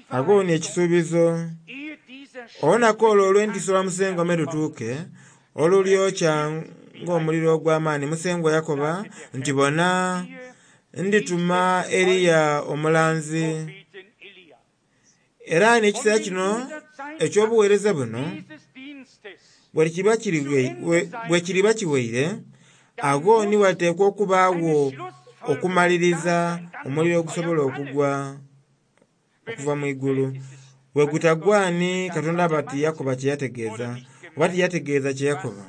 Agho ni ekisuubizo, olunaku olwo olw'entiisa olwa Musengwa me lutuuke, olulyokya ng'omuliro ogw'amaani, Musengwa yakoba nti, Bona, ndituma Eliya omulanzi. Era n'ekiseera kino eky'obuweereza buno bwe kiriba kiwaire, agho ni wateekwa okubaagho okumaliriza omuliro ogusobola okugwa okuva mu igulu. Bwe gutagwa ni Katonda aba tiyakoba kye yategeeza, oba tiyategeeza kye yakoba.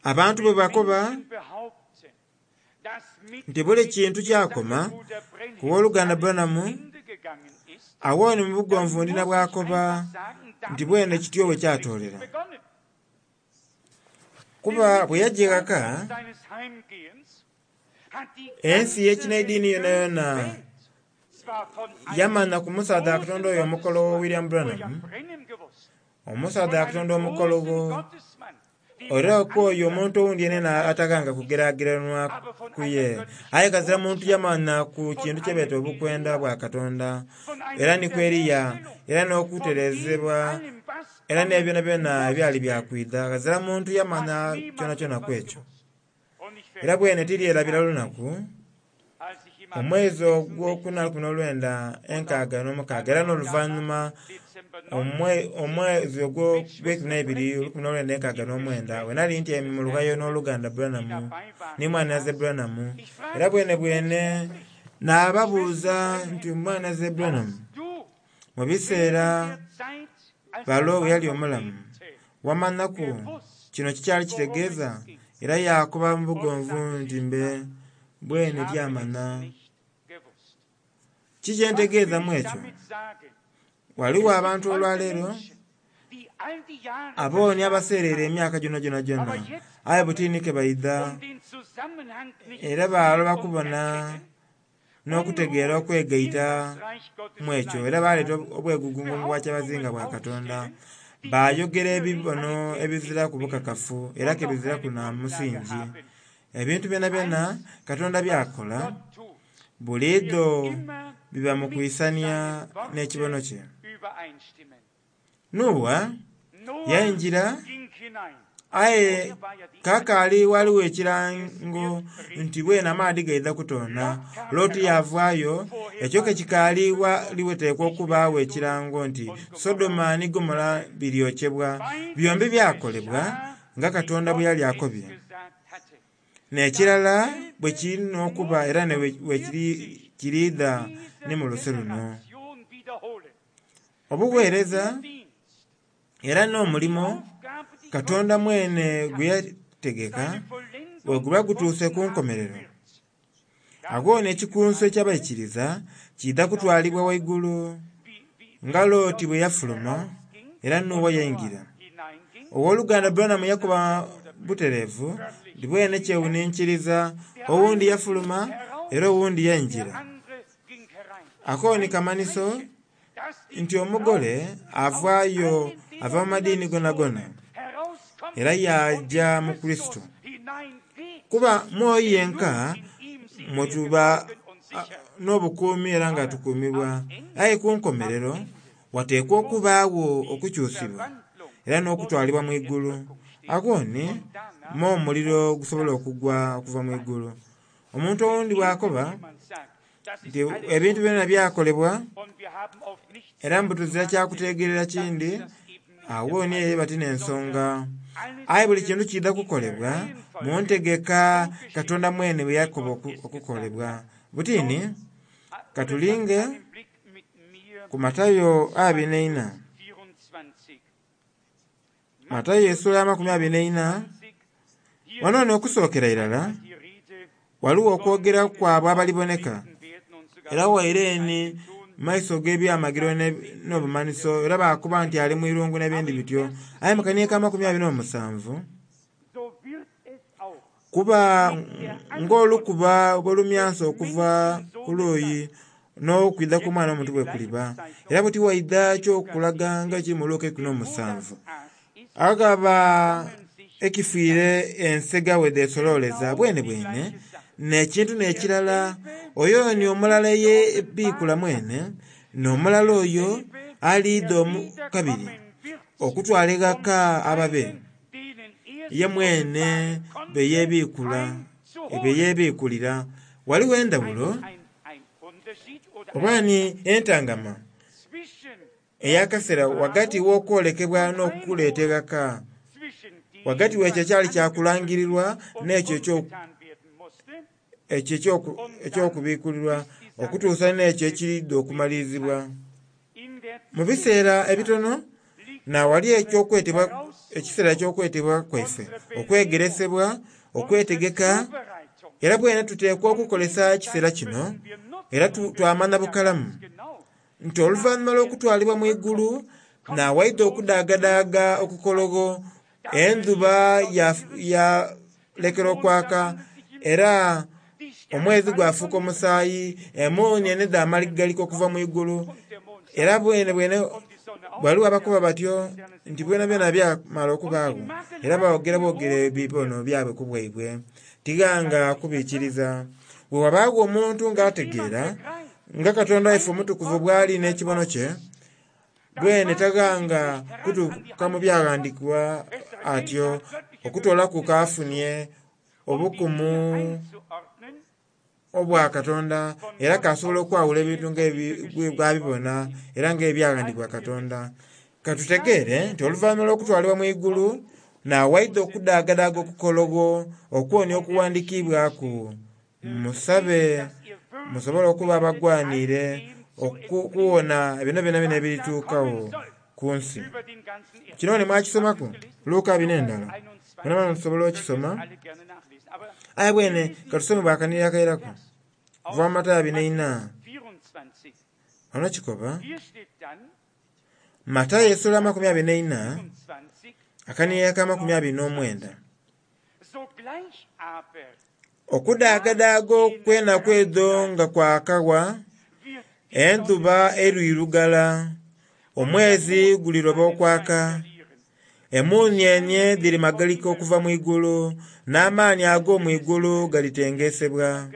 Abantu bwe bakoba nti buli kintu kyakoma ku w'oluganda Branham, agho ni mu bugonvu ndina bw'akoba. Nti bwene kityo bwe kyatoolera. Kuba bwe yajja ghaka, ensi y'ekinaidiini yonayona yamanya ku musaadha wa Katonda oyo omukologho William Branham, omusaadha wa Katonda omukologho, era ku oyo omuntu owundi yenena ataghanga kugerageranwa ku ye. Aye ghazira muntu yamanya ku kintu kye beeta obukwenda bwa Katonda, era ni ku Eliya, era n'okutereezebwa, era n'ebyonabyona ebyali bya kwidha. Ghazira muntu yamanya kyonakyona ku ekyo. Era bwene tiryerabira lunaku, omwezi ogwokuna 1966, era n'oluvannyuma omwezi ogw'eikumi 1969, bwe nali ntyaime mu lughayo n'oluganda Branham ni mwanhinaze Branham, era bwenebwene naababuuza nti mwanhinaze Branham, mu biseera balo bwe yali omulamu, wamanhaku kino kikyali kitegeeza? Era yaakoba mu bugonvu nti mbe bwene tyamanha. Ki kye ntegeeza mu ekyo? Ghaligho abantu olwaleero abooni abaseereire emyaka gyonagyona, aye butini ke baidha era baaloba kubona n'okutegeera okwegaita mu ekyo, era baleeta obwegugungo mu bwakyabazinga bwa Katonda. Baayogera ebibono ebiziraku bukakafu era ke biziraku na musingi. Ebintu byonabyona Katonda by'akola buliidho biba mu kwisania n'ekibono kye. Noa yaingira aye kakaali ghaligho ekirango nti bwene amaadhi gaidha kutoona. Loti yaavaayo, ekyo ke kikaali ghaligho okubaagho ekirango nti Sodoma ni Gomora biryokyebwa. Byombi byakolebwa nga Katonda bwe yali akobye. N'ekirala bwe kiri n'okuba era bwe kiriidha ni mu luse luno. Obugheereza era n'omulimo Katonda mwene gwe yategeka bwe guba gutuuse ku nkomerero, agho n'ekikunsu eky'abaikiriza kiidha kutwalibwa waigulu nga Loti bwe yafuluma era Noa yaingira. Ow'oluganda Branham yakoba butereevu nti bwene kyewuninkiriza owundi yafuluma era owundi yaingira. Ako ni kamanhiso nti omugole avaayo ava mu madiini gonagona era yaaja mu Kurisito. Kuba mwoyo yenka mwe tuba n'obukuumi era nga tukuumibwa. Aye ku nkomerero wateekwa okubaagho okukyusibwa era n'okutwalibwa mu igulu. Agho ni m'omuliro gusobola okugwa okuva mu igulu. Omuntu owundi bw'akoba nti ebintu byona byakolebwa era mbu tuzira kyakuteegerera kindi, agho ni eba ti n'ensonga. Aye buli kintu kiidha kukolebwa mu ntegeka Katonda mwene bwe yakoba okukolebwa. Buti ni katulinge ku Matayo 24. Matayo esula 24. Wano n'okusookera irala ghaligho okwogera kwabo abaliboneka era waire ni maiso g'ebyamagero n'obumanhiso era baakoba nti ali mu irungu n'ebindi bityo. Aye mu kaniiko 27 kuba ng'olukuba bwe lumyansa okuva ku luuyi n'okwidha kw'Omwana w'Omuntu bwe kuliba. Era buti waidha eky'okulaga nga ekiri mu Luka 17. Aghaba ekifiire ensega bwe dhesololeza bwenebwene n'ekintu n'ekirala, oyo ni omulala eyebiikula mwene, n'omulala oyo aliidha kabiri okutwala eghaka ababe ye mwene be yeebiikulira. Ghaligho endhawulo oba ni entangama ey'akaseera ghagati w'okwolekebwa n'okuleeta eghaka, ghagati w'ekyo ekyali kyakulangirirwa n'ekyo eky'okubiikulirwa okutuusa n'ekyo ekiriidha okumalirizibwa. Mu biseera ebitono naawali ekiseera eky'okwetebwa kwaife, okwegeresebwa, okwetegeka, era bwene tuteekwa okukozesa ekiseera kino era twamanha bukalamu nti oluvannyuma lw'okutwalibwa mu igulu. Nawaidha okudaagadaaga okukologho, endhuba yalekera okwaka, era omwezi gwafuuka omusaayi, emuunienhe dhamaligalika okuva mu igulu. Era bwene bwene ghaligho abakoba batyo nti byonabyona byamala okubaagho, era boogera bwogere ebibono byabwe ku bwaibwe. Tighanga kubiikiriza. Bwe wabaagho omuntu ng'ategeera nga Katonda waife omutukuvu bw'ali n'ekibono kye, bwene taghanga kutuuka mu byaghandiikibwa atyo okutoolaku k'afunye obukumu obwa Katonda, era k'asobola okwawula ebintu nga bwabibona era ng'ebyaghandiikibwa Katonda. Katutegeere nti oluvannyuma lw'okutwalibwa mu igulu, nawaidha okudaagadaaga okukologho okwonia okuwandiikibwaku. Musabe musobole okuba abagwaniire okuwona bino byonabyona ebirituukagho ku nsi. Kino ni mwakisomaku Luka bino endala mwenamwena musobola okisoma. Aye bwene katusome bwakanira akairaku okuva mu Matayo 24. Ono kikoba Matayo esula 24 akanira aka 29. Okudaagadaaga okw'enaku edho nga kwakawa, endhuba erwirugala, omwezi guliroba okwaka, emuunienhe dhirimagalika okuva mu igulu, n'amaani ag'omu igulu galitengesebwa.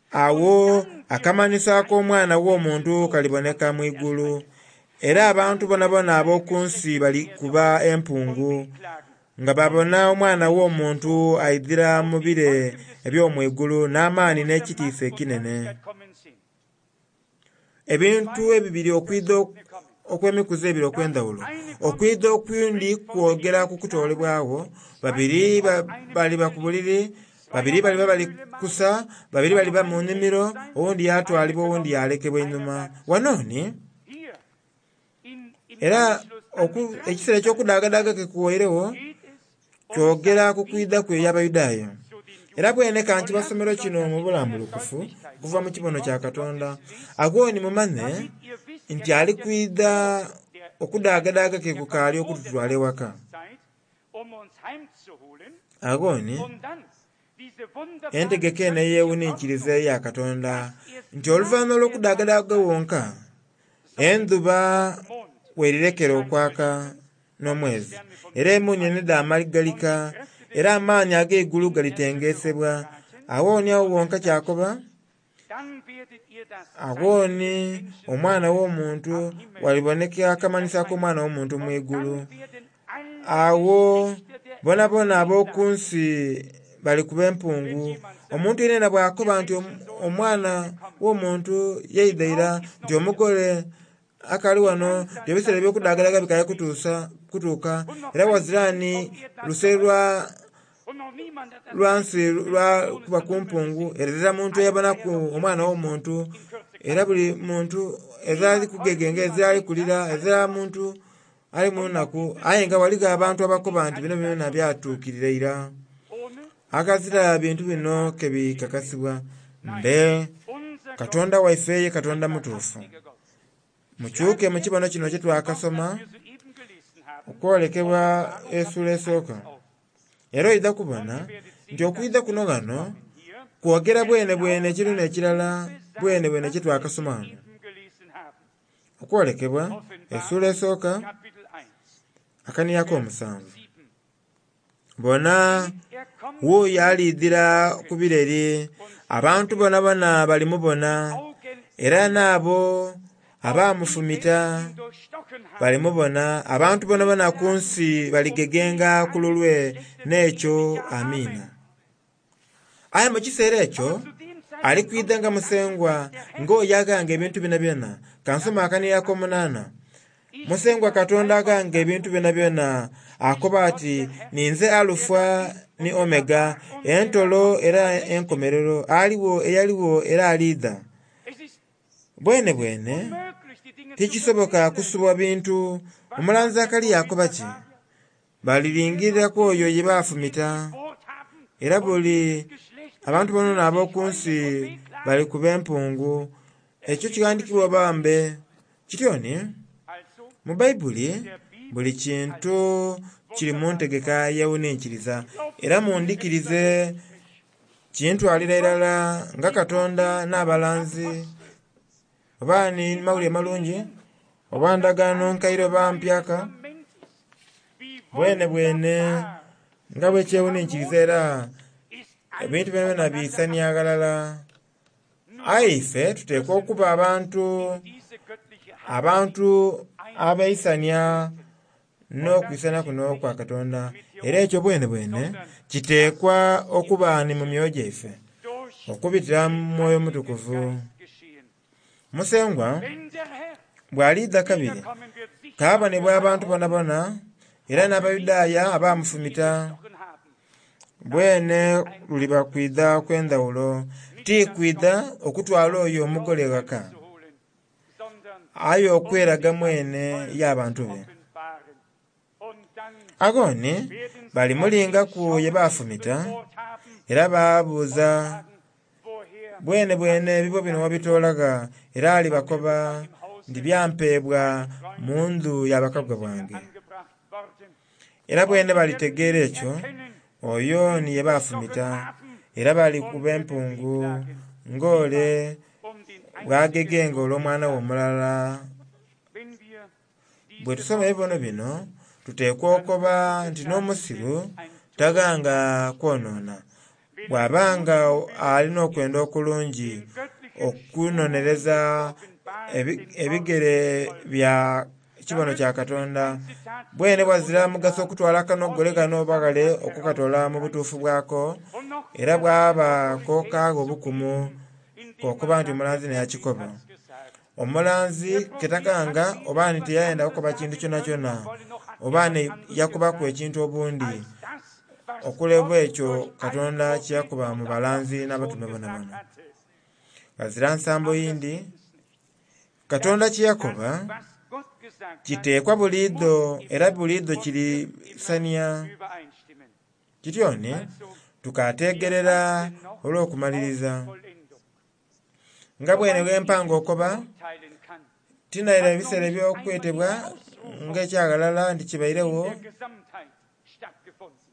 Agho akamanhiso ak'Omwana w'Omuntu kaliboneka mu igulu, era abantu boonaboona ab'oku nsi balikuba empungu, nga babona Omwana w'Omuntu aidhira mu bire eby'omu igulu n'amaani n'ekitiisa ekinene. Ebintu ebibiri okwidha okw'emikuzi ebiri okw'endhaghulo. Okwidha okwindi kwogera ku kutoolebwagho, babiri baliba ku buliri, babiri baliba bali kusa, babiri baliba mu nnhimiro, owundi yatwalibwa owundi yalekebwa einhuma. Wano ni era ekiseera eky'okudaagadaaga ke kuwairegho kyogera ku kwidha kwe eri Abayudaaya. Era bwene ka nkibasomere kino mu bulambulukufu okuva mu kibono kya Katonda. Agho ni mumanhe nti ali kwidha okudaagadaaga ke kukaali okututwala ewaka. Agho ni entegeka eno eyewuninkiriza eya Katonda nti oluvannyuma olw'okudaagadaaga wonka, endhuba werirekera okwaka n'omwezi, era emuunienhe dhamaligalika, era amaani ag'eigulu galitengesebwa. Agho ni agho wonka kyakoba, agho ni Omwana w'Omuntu waliboneka akamanhiso ak'Omwana w'Omuntu mu igulu. Agho boonaboona ab'oku nsi balikuba empungu. Omuntu yenayena bw'akoba nti Omwana w'Omuntu yaidha ira, nti omugole akaali wano, nti ebiseera eby'okudaagadaaga bikaali kutuuka, era wazira ni luse lwa nsi lwa kuba ku mpungu, era ezira muntu eyabonaku Omwana w'Omuntu, era buli muntu ezira ali kugegenga, ezira ali kulira, ezira muntu ali mu nnaku. Aye nga ghaligho abantu abakoba nti bino byona byatuukirira ira. Aghazira bintu bino ke bikakasibwa. Mbe Katonda waife ye Katonda mutuufu. Mukyuke mu kibono kino kye twakasoma okwolekebwa esula esooka. Era oidha kubona nti okwidha kuno ghano kwogera bwenebwene ekintu n'ekirala bwenebwene kye twakasoma ghano. Okwolekebwa esula esooka akanira ak'omusanvu. Bona, wuuyo aliidhira ku bireri, abantu boonaboona balimubona, era n'abo abaamufumita balimubona. Abantu boonaboona ku nsi baligegenga ku lulwe n'ekyo. Amiina. Aye mu kiseera ekyo ali kwidha nga Musengwa ng'oyo aghanga ebintu byonabyona. Ka nsome akanira ak'omunaana. Musengwa Katonda aghanga ebintu byonabyona akoba ati, Ninze Alufa ni Omega, entolo era enkomerero, aligho, eyaligho era aliidha. Bwenebwene tikisoboka kusubwa bintu. Omulanzi Zakaria akoba ki? Baliringirira ku oyo ye baafumita, era buli abantu boonaboona ab'oku nsi balikuba empungu. Ekyo kighandikibwa bambe. Kityo ni, Mu Baibuli buli kintu kiri mu ntegeka yewuninkiriza era mundhikirize kintwalira irala nga Katonda n'abalanzi oba ni mawulire malungi oba ndagaano nkaire oba mpyaka bwene bwene nga bwekyewuninkiriza era ebintu byonabyona biisania ghalala. Aye ife tuteekwa okuba abantu abaisania n'okwisana kuno okwa Katonda, era ekyo bwene bwene kiteekwa okuba ni mu myoyo gyaife okubitira mu Mwoyo Mutukuvu. Musengwa bw'aliidha kabiri kaabonebwa abantu bonabona era n'Abayudaaya abaamufumita. Bwene luliba kwidha kw'endhawulo, ti kwidha okutwala oyo omugole ghaka, aye okweraga mwene y'abantu be. Agho ni balimulingaku ye baafumita era baabuuza, bwene bwene ebibo bino wabitoola gha? Era alibakoba nti byampeebwa mu ndhu ya bakagwa bange. Era bwene balitegeera ekyo oyo ni ye baafumita, era balikuba empungu ng'ole bw'agegenga olw'omwana we omulala. Bwe tusoma ebibono bino tuteekwa okoba nti n'omusiru taghanga kwonoona bw'aba nga alina okwenda okulungi okunonereza ebigere bya kibono kya Katonda. Bwene bwazira mugaso okutwala akanogole kano oba ghale okukatoola mu butuufu bwako, era bwaba kokaagho obukumu kokuba nti omulanzi neyakikoba. Omulanzi ketakanga oba ni tiyayenda kukoba kintu kyonakyona oba ni yakobaku ekintu obundi okuleba ekyo Katonda kyeyakoba mu balanzi n'abatume bonabona. Ghazira nsambo yindi, Katonda kyeyakoba kiteekwa buliidho era buliidho kirisania. Kityo ni tukategerera olw'okumaliriza. Nga bwene bwempanga okoba, tinaira ebiseera eby'okwetebwa nga ekyaghalala nti kibairegho.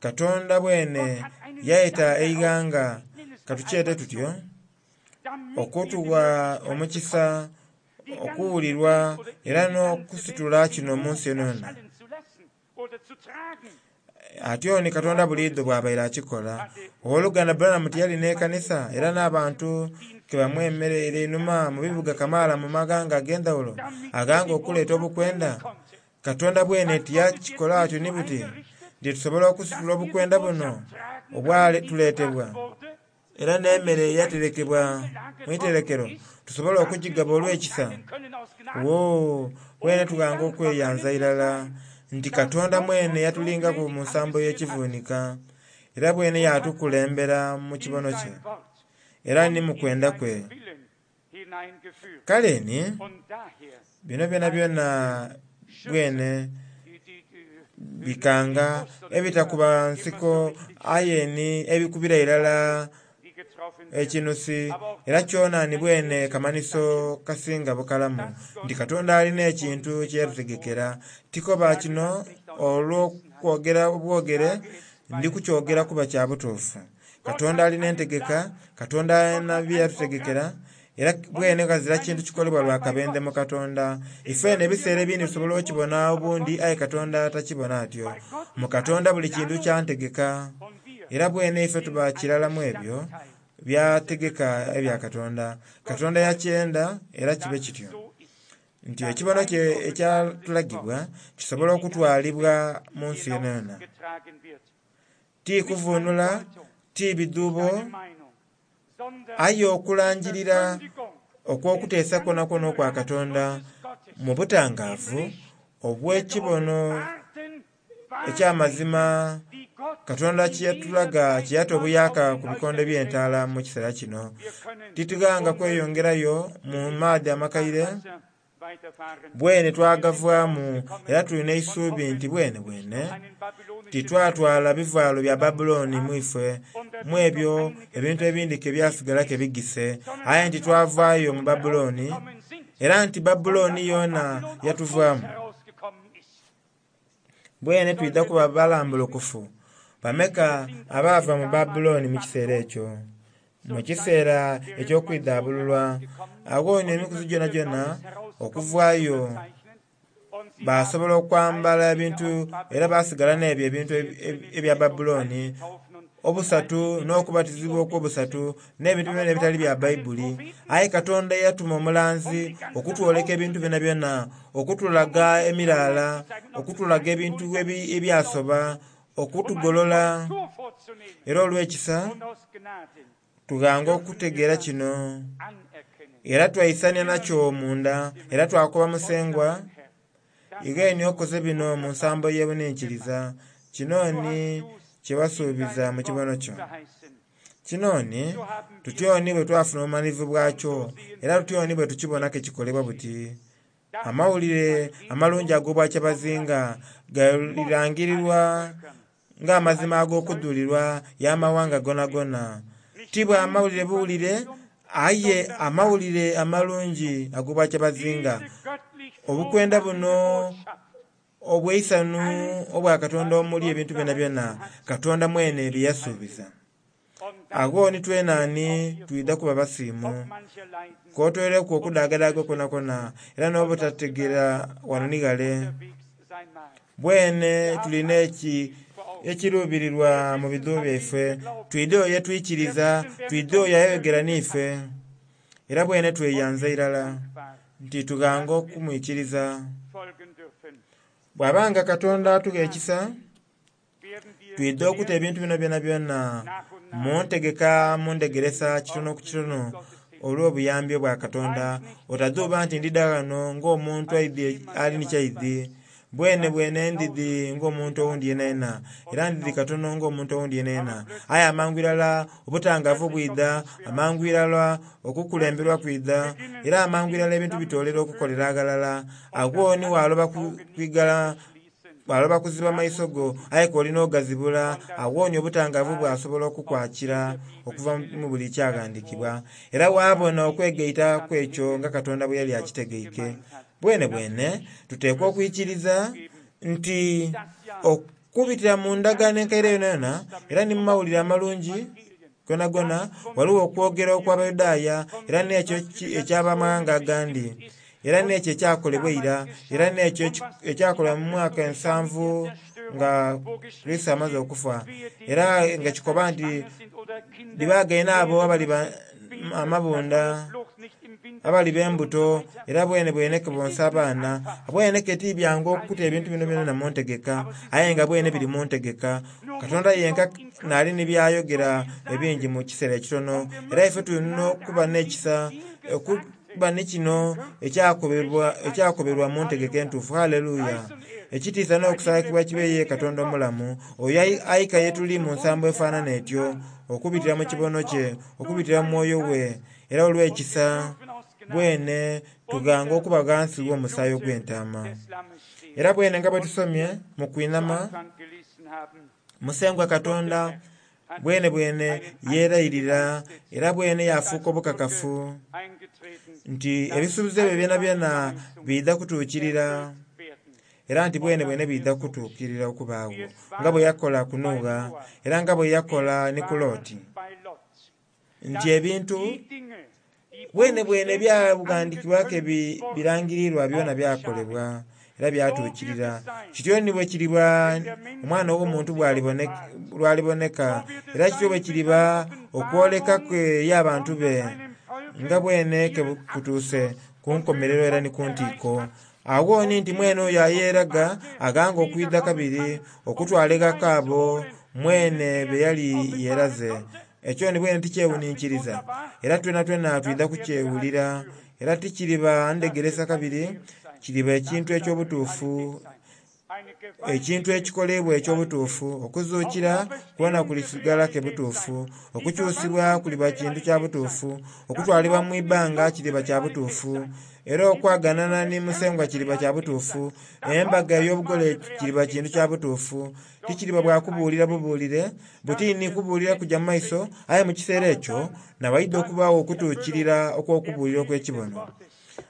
Katonda bwene yaita eighanga katukyete tutyo okutuwa omukisa okuwulirwa era n'okusitula kino mu nsi yonayona. Atyo ni Katonda buliidho bw'abaire akikola. Ow'oluganda Branham tiyali n'ekanisa era n'abantu ke bamwemereire einhuma mu bibuga kamaala mu maghanga ag'endhawulo aghanga okuleeta obukwenda. Katonda bwene tiyakikola atyo ni buti nti tusobola okusitula obukwenda buno obwatuleetebwa era n'emmere eyaterekebwa mu iterekero tusobole okugigaba olw'ekisa. Woo, bwene tughanga okweyanza irala nti Katonda mwene yatulingaku mu nsambo y'ekivunika era bwene yatukulembera mu kibono kye era ni mu kwenda kwe. Kale ni bino byonabyona bwene bikanga ebitakuba nsiko aye ni ebikubira irala ekinusi era kyona ni bwene kamanhiso kasinga bukalamu nti Katonda alina ekintu kye yatutegekera. Tikoba kino olw'okwogera obwogere, ndi kukyogera kuba kya butuufu. Katonda alina entegeka, Katonda alina bye yatutegekera, era bwene ghazira kintu kikolebwa lwa kabendhe mu Katonda. Ife eno ebiseera ebindi tusobola okibona obundi aye Katonda takibona atyo. Mu Katonda buli kintu kya ntegeka, era bwene ife tuba kirala mu ebyo byategeka ebya Katonda. Katonda yakyenda era kibe kityo nti ekibono kye ekyatulagibwa kisobola okutwalibwa mu nsi yonayona. Ti kuvuunula, ti bidhuubo, aye okulangirira okw'okuteesa kwonakwona okwa Katonda mu butangaavu obw'ekibono eky'amazima Katonda kye yatulaga kye yata obuyaaka ku bikonde by'entaala mu kiseera kino. Titughanga kweyongerayo mu maadhi amakaire bwene twagavaamu era tulina eisuubi nti bwene bwene titwatwala bivaalo bya Babulooni mu ife mu ebyo ebintu ebindi ke byasigala ke bigise, aye nti twavaayo mu Babulooni era nti Babulooni yoona yatuvaamu. Bwene twidha kuba balambulukufu. Bameka abaava mu Babulooni mu kiseera ekyo, mu kiseera eky'okwidhaabululwa? Agho ni emikuzi gyonagyona okuvaayo baasobola okwambala ebintu era baasigala n'ebyo ebintu ebya Babulooni, obusatu n'okubatizibwa okw'obusatu, n'ebintu byonabyona ebitali bya Baibuli. Aye Katonda yatuma omulanzi okutwoleka ebintu byonabyona, okutulaga emiraala, okutulaga ebintu ebyasoba, okutugolola. Era olw'ekisa tughanga okutegeera kino, era twaisania nakyo munda, era twakoba Musengwa, Igheni okoze bino mu nsambo ey'ebuninkiriza. Kino ni kye wasuubiza mu kibono kyo. Kino ni tutyo ni bwe twafuna obumanhirivu bwakyo, era tutyo ni bwe tukibona ke kikolebwa buti. Amawulire amalungi ag'Obwakyabazinga galirangirirwa ng'amazima ag'okudhulirwa y'amawanga gonagona. Ti bwa mawulire buwulire, aye amawulire amalungi ag'Obwakyabazinga. Obukwenda buno obw'eisanhu obwa Katonda omuli ebintu byonabyona Katonda mwene bye yasuubiza. Agho ni twenaani twidha kuba basiimu, k'otoireku okudaagadaaga kwonakwona era n'obutategeera ghano ni ghale. Bwene tuli n'ekiruubirirwa mu bidhuubo byaife, twidhe oyo ye twikiriza, twidhe oyo ayogera n'ife. Era bwene tweyanza irala nti tughanga okumwikiriza. Bw'aba nga Katonda atugha ekisa, twidha okuta ebintu bino byonabyona mu ntegeka, mu ndhegeresa kitono ku kitono olw'obuyambi obwa Katonda. Otadhuuba nti ndidha ghano ng'omuntu ali ni kyaidhi. Bwene bwene ndidhi ng'omuntu owundi yenayena, era ndidhi katono ng'omuntu owundi yenayena. Aye amangu irala obutangavu bwidha, amangu irala okukulemberwa kwidha, era amangu irala ebintu bitoolera okukolera aghalala. Agho ni waloba kwigala, waloba kuziba maiso go, aye k'oli n'ogazibula, agho ni obutangavu bwasobola okukwakira okuva mu buli kyaghandiikibwa. Era waabona okwegaita kw'ekyo nga Katonda bwe yali akitegeike. Bwenebwene tuteekwa okwikiriza nti okubitira mu ndagaano enkaire yonayona era ni mu mawulire amalungi gonagona, ghaligho okwogera okw'Abayudaaya era n'ekyo eky'abamaghanga agandi, era n'ekyo ekyakolebwa eira, era n'ekyo ekyakolebwa mu mwaka ensanvu nga Kurisito amaze okufa, era nga kikoba nti dhibaagaine abo abali amabunda, abaliba embuto, era bwenebwene ke bonsa abaana. Bwene ke ti byangu okuta ebintu bino byonabyona mu ntegeka, aye nga bwene biri mu ntegeka. Katonda yenka naali ni by'ayogera ebingi mu kiseera ekitono, era ife tulina okuba n'ekisa okuba ni kino ekyakoberwa mu ntegeka entuufu. Haleluya! Ekitiisa n'okusaakibwa kibe ye Katonda omulamu, oyo aika ye tuli mu nsambo efaanana etyo, okubitira mu kibono kye, okubitira mu Mwoyo we, era olw'ekisa bwene tughanga okuba ghansi gh'omusaayi ogw'entaama. Era bwene nga bwe tusomye mu kwinhama, Musengwa Katonda bwenebwene yeerayirira era bwene yaafuuka obukakafu nti ebisuubizo ebyo byonabyona biidha kutuukirira, era nti bwenebwene biidha kutuukirira okubaagho, nga bwe yakola ku Noa era nga bwe yakola ni ku Loti, nti ebintu bwenebwene ebyaghandiikibwaku ebirangirirwa byona byakolebwa era byatuukirira. Kityo ni bwe kiriba Omwana ow'Omuntu lw'aliboneka, era kityo bwe kiriba okwoleka kwe eri abantu be, nga bwene ke kutuuse ku nkomerero era ni ku ntiiko. Agho ni nti mwene oyo ayeeraga aghanga okwidha kabiri okutwala eghaka abo mwene be yali yeeraze. Ekyo ni bwene tikyewuninkiriza, era twenatwena twidha kukyewulira. Era tikiriba ndhegeresa kabiri, kiriba ekintu eky'obutuufu, ekintu ekikoleibwa eky'obutuufu. Okuzuukira kwona kulisigala ke butuufu, okukyusibwa kuliba kintu kya butuufu, okutwalibwa mu ibbanga kiriba kya butuufu, era okwaganana ni Musengwa kiriba kya butuufu, embaga ey'obugole kiriba kintu kya butuufu. Tikiriba bwa kubuulira bubuulire, buti ni kubuulira kuja mu maiso, aye mu kiseera ekyo nawaidha okubaagho okutuukirira okw'okubuulira okw'ekibono.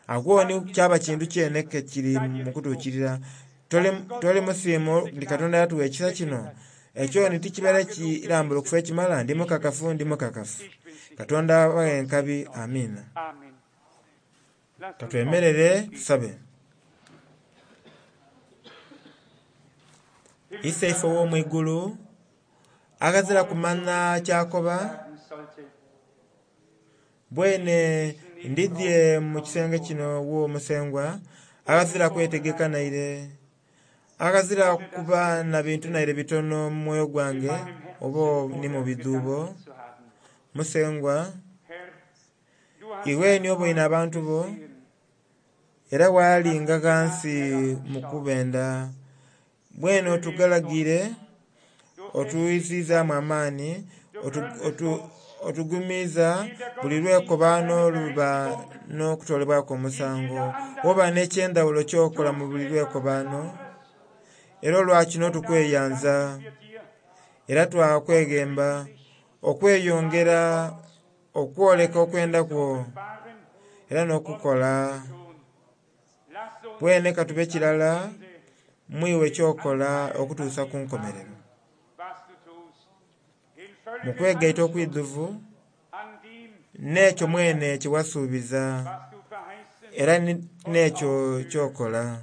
Agho ni kyaba kintu kyene ke kiri mu kutuukirira. Toli musiimu nti Katonda yatuwa ekisa kino? Ekyo ni tikibeera kirambulukufu ekimala? Ndi mukakafu, ndi mukakafu. Katonda abaghe enkabi. Amiina. Katwemerere tusabe. Iseife ow'omu igulu, aghazira kumanya kyakoba, bwene ndidhye mu kisenge kino wo Musengwa, aghazira kwetegeka naire, aghazira kuba na bintu naire bitono mu mwoyo gwange oba ni mu bidhuubo. Musengwa, iwe ni oboine abantu bo, era walinga ghansi mu kubenda. Bwene otugalagire, otwizizaamu amaani, otugumiiza buli lwekobaano luba n'okutolebwaku omusango. Oba n'ekyendhawulo ky'okola mu buli lwekobaano, era olwakino tukweyanza, era twakweghemba okweyongera okwoleka okwenda kwo era n'okukola. Bwene katube kirala mwiwe kyokola okutuusa ku nkomerero. Mu kwegaita okwidhuvu n'ekyo mwene kye wasuubiza era n'ekyo kyokola.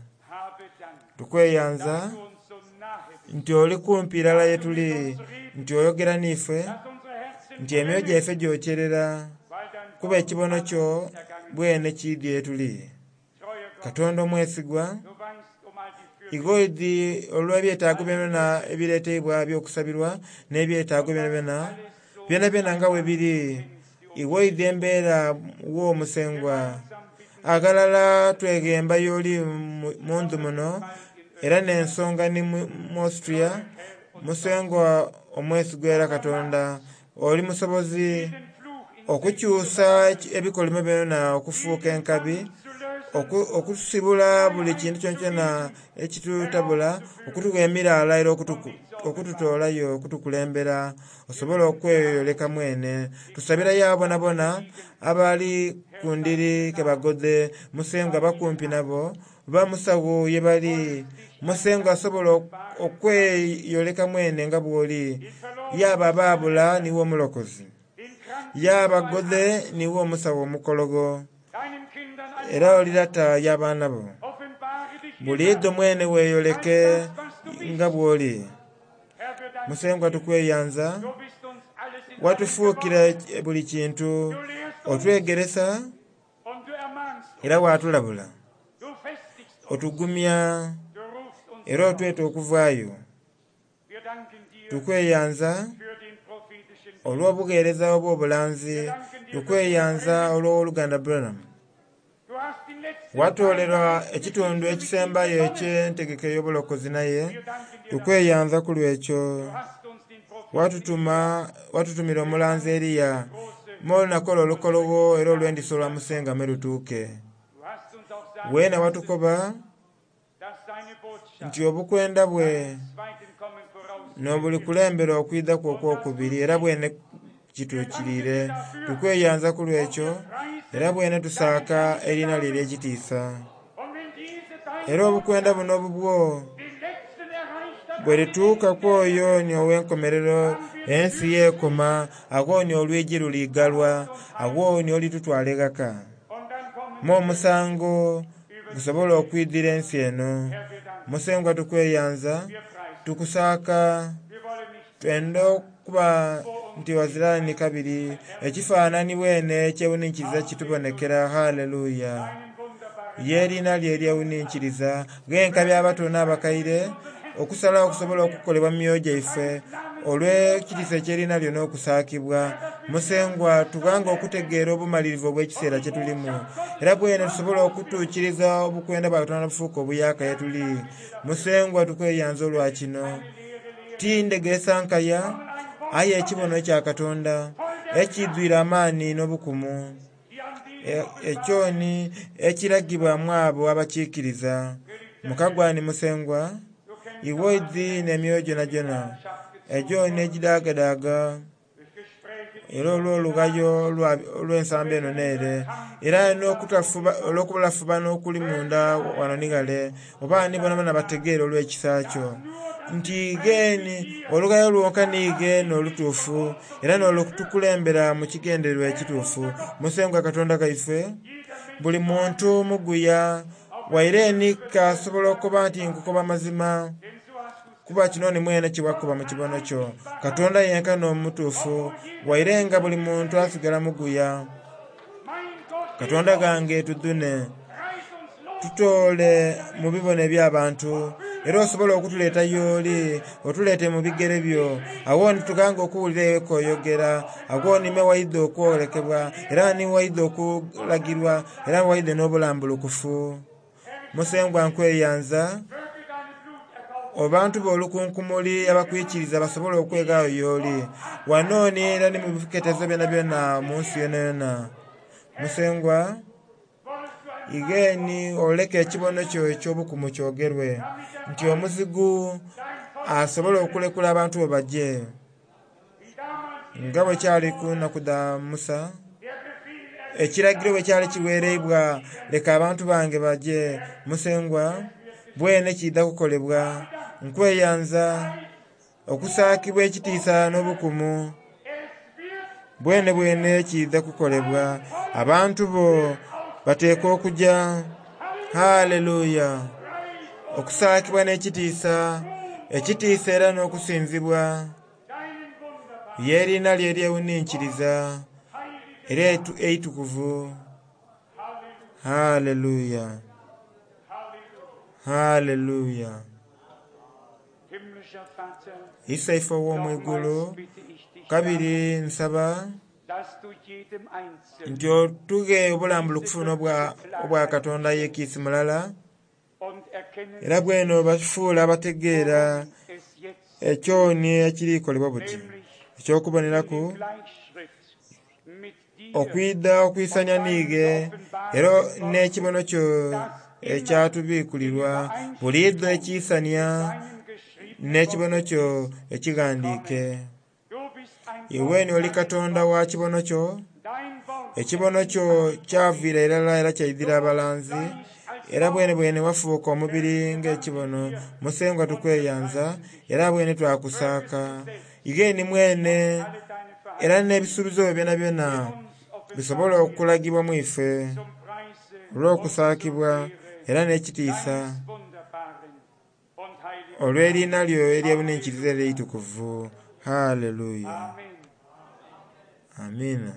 Tukweyanza nti oli kumpi irala ye tuli, nti oyogera n'ife, nti emyoyo gyaife gyokyerera kuba ekibono kyo bwene kiidye ye tuli. Katonda omwesigwa, igoidhi olw'ebyetaago byonabyona ebireteibwa eby'okusabirwa n'ebyetaago byonabyona, byonabyona nga bwe biri, iwoidhi embeera wo Musengwa. Aghalala tweghemba y'oli mu ndhu muno, era n'ensonga ni mu Austria, Musengwa omwesigwa era Katonda, oli musobozi okukyusa ebikolimo byona okufuuka enkabi, okusibula buli kintu kyonakyona ekitutabula, okutuwa emiraala era okututoolayo, okutukulembera, osobole okweyoleka mwene. Tusabirayo abo bonabona abali ku ndiri kebagodhe, Musengwa bakumpi nabo, bamusawo ye bali. Musengwa asobola okweyoleka mwene nga bw'oli. Yaba abaabula niwe omulokozi, yaba godhe niwe omusawo omukologo, era oli lata y'abaana bo. Buliidho mwene weeyoleke nga bw'oli. Musengwa tukweyanza, watufuukira buli kintu, otwegeresa era watulabula, otugumya era otweta okuvaayo. Tukweyanza olw'obugheereza obw'obulanzi, tukweyanza olw'oluganda Branham. Watoolera ekitundu ekisembayo eky'entegeka ey'obulokozi naye, tukweyanza ku lw'ekyo. Watutumira omulanzi Eriya, m'olunaku olwo olukologho era olw'endiso olwa Musenga me lutuuke. Weena watukoba nti obukwenda bwe n'obulikulembera okwidha kwo okw'okubiri era bwene kituukiriire. Tukweyanza ku lw'ekyo era bwene tusaaka eriina lye ery'ekitiisa. Era obukwenda buno obubwo bwe lituuka ku oyo ni ow'enkomerero ensi yeekoma, agho ni olwigi luliigalwa, agho ni olitutwala eghaka. Mu omusango gusobola okwidhira ensi eno. Musengwa tukweyanza, tukusaaka, twenda okuba nti wazira ni kabiri ekifaananyi bwene ekyewuninkiriza kitubonekera. Haleluya! Ye eriina lye eryewuninkiriza ghenkabi abato n'abakaire okusalawo okusobola okukolebwa mu myoyo gyaife olw'ekitiisa eky'eriina lyo n'okusaakibwa. Musengwa tughanga okutegeera obumalirivu obw'ekiseera kye tulimu, era bwene tusobola okutuukiriza obukwenda bwa Katonda bufuuka obuyaaka ye tuli. Musengwa tukweyanza olwa kino. Ti ndhegeresa nkaya, aye ekibono ekya Katonda ekiidhwire amaani n'obukumu, ekyo ni ekiragibwa mu abo abakiikiriza. Mukagwani Musengwa, iwe oidhi n'emyoyo gyonagyona egyo n'egidaagadaaga. Era olw'olughayo olw'ensambo eno n'ere, era n'okulafubana okuli munda wano ni ghale, oba ni bonabona bategeere olw'ekisa kyo nti ighe olughayo lwonka niighe n'olutuufu era n'olutukulembera mu kigendererwa ekituufu. Musengwa Katonda ghaife, buli muntu muguya waire ni kasobola okukoba nti nkukoba mazima, kuba kino ni mwene kyewakoba mu kibono kyo. Katonda yenka n'omutuufu, waire nga buli muntu asigala muguya. Katonda ghange tudhune, tutoole mu bibono eby'abantu, era osobole okutuleeta y'oli, otuleete mu bigere byo. Agho ni tughanga okuwulira ewe k'oyogera, agho ni me waidha okwolekebwa, era ni waidha okulagirwa, era waidha n'obulambulukufu. Musengwa nkweyanza, abantu b'olukunkumuli abakwikiriza basobole okweghaayo y'oli. Wano ni era ni mu biketezo byonabyona mu nsi yonayona. Musengwa, ighe ni oleke ekibono kyo eky'obukumu kyogerwe, nti omuzigu asobole okulekula abantu bo baje. Nga bwe kyali ku nnaku dha Musa, ekiragiro bwe kyali kiwereibwa, leka abantu bange baje. Musengwa, bwene kiidha kukolebwa. Nkweyanza okusaakibwa ekitiisa n'obukumu, bwene bwene kiidha kukolebwa. Abantu bo bateekwa okuja. Haleluya! Okusaakibwa n'ekitiisa, ekitiisa era n'okusinzibwa, y'eriina lye eryewuninkiriza era eitukuvu. Haleluya! Haleluya! Isaife ow'omwigulu, kabiri nsaba nti otughe obulambulukufu obwa Katonda ye kiisi mulala, era bwene obatufuule abategeera ekyoni ekiri kolebwa buti, eky'okuboneraku okwidha okwisania niighe era n'ekibono kyo ekyatubikulirwa buliidho ekisania n'ekibono kyo ekighandiike. Iwe ni oli Katonda wa kibono kyo, ekibono kyo kyaviira irala era kyaidhira abalanzi, era bwene bwene wafuuka omubiri ng'ekibono. Musengwa tukweyanza era bwene twakusaaka. Ighe ni mwene era n'ebisuubizo byo byonabyona bisobole okulagibwa mu ife olw'okusaakibwa era n'ekitiisa olw'eriina lyo eryewuninkiriza era eitukuvu. Haleluya! Amiina.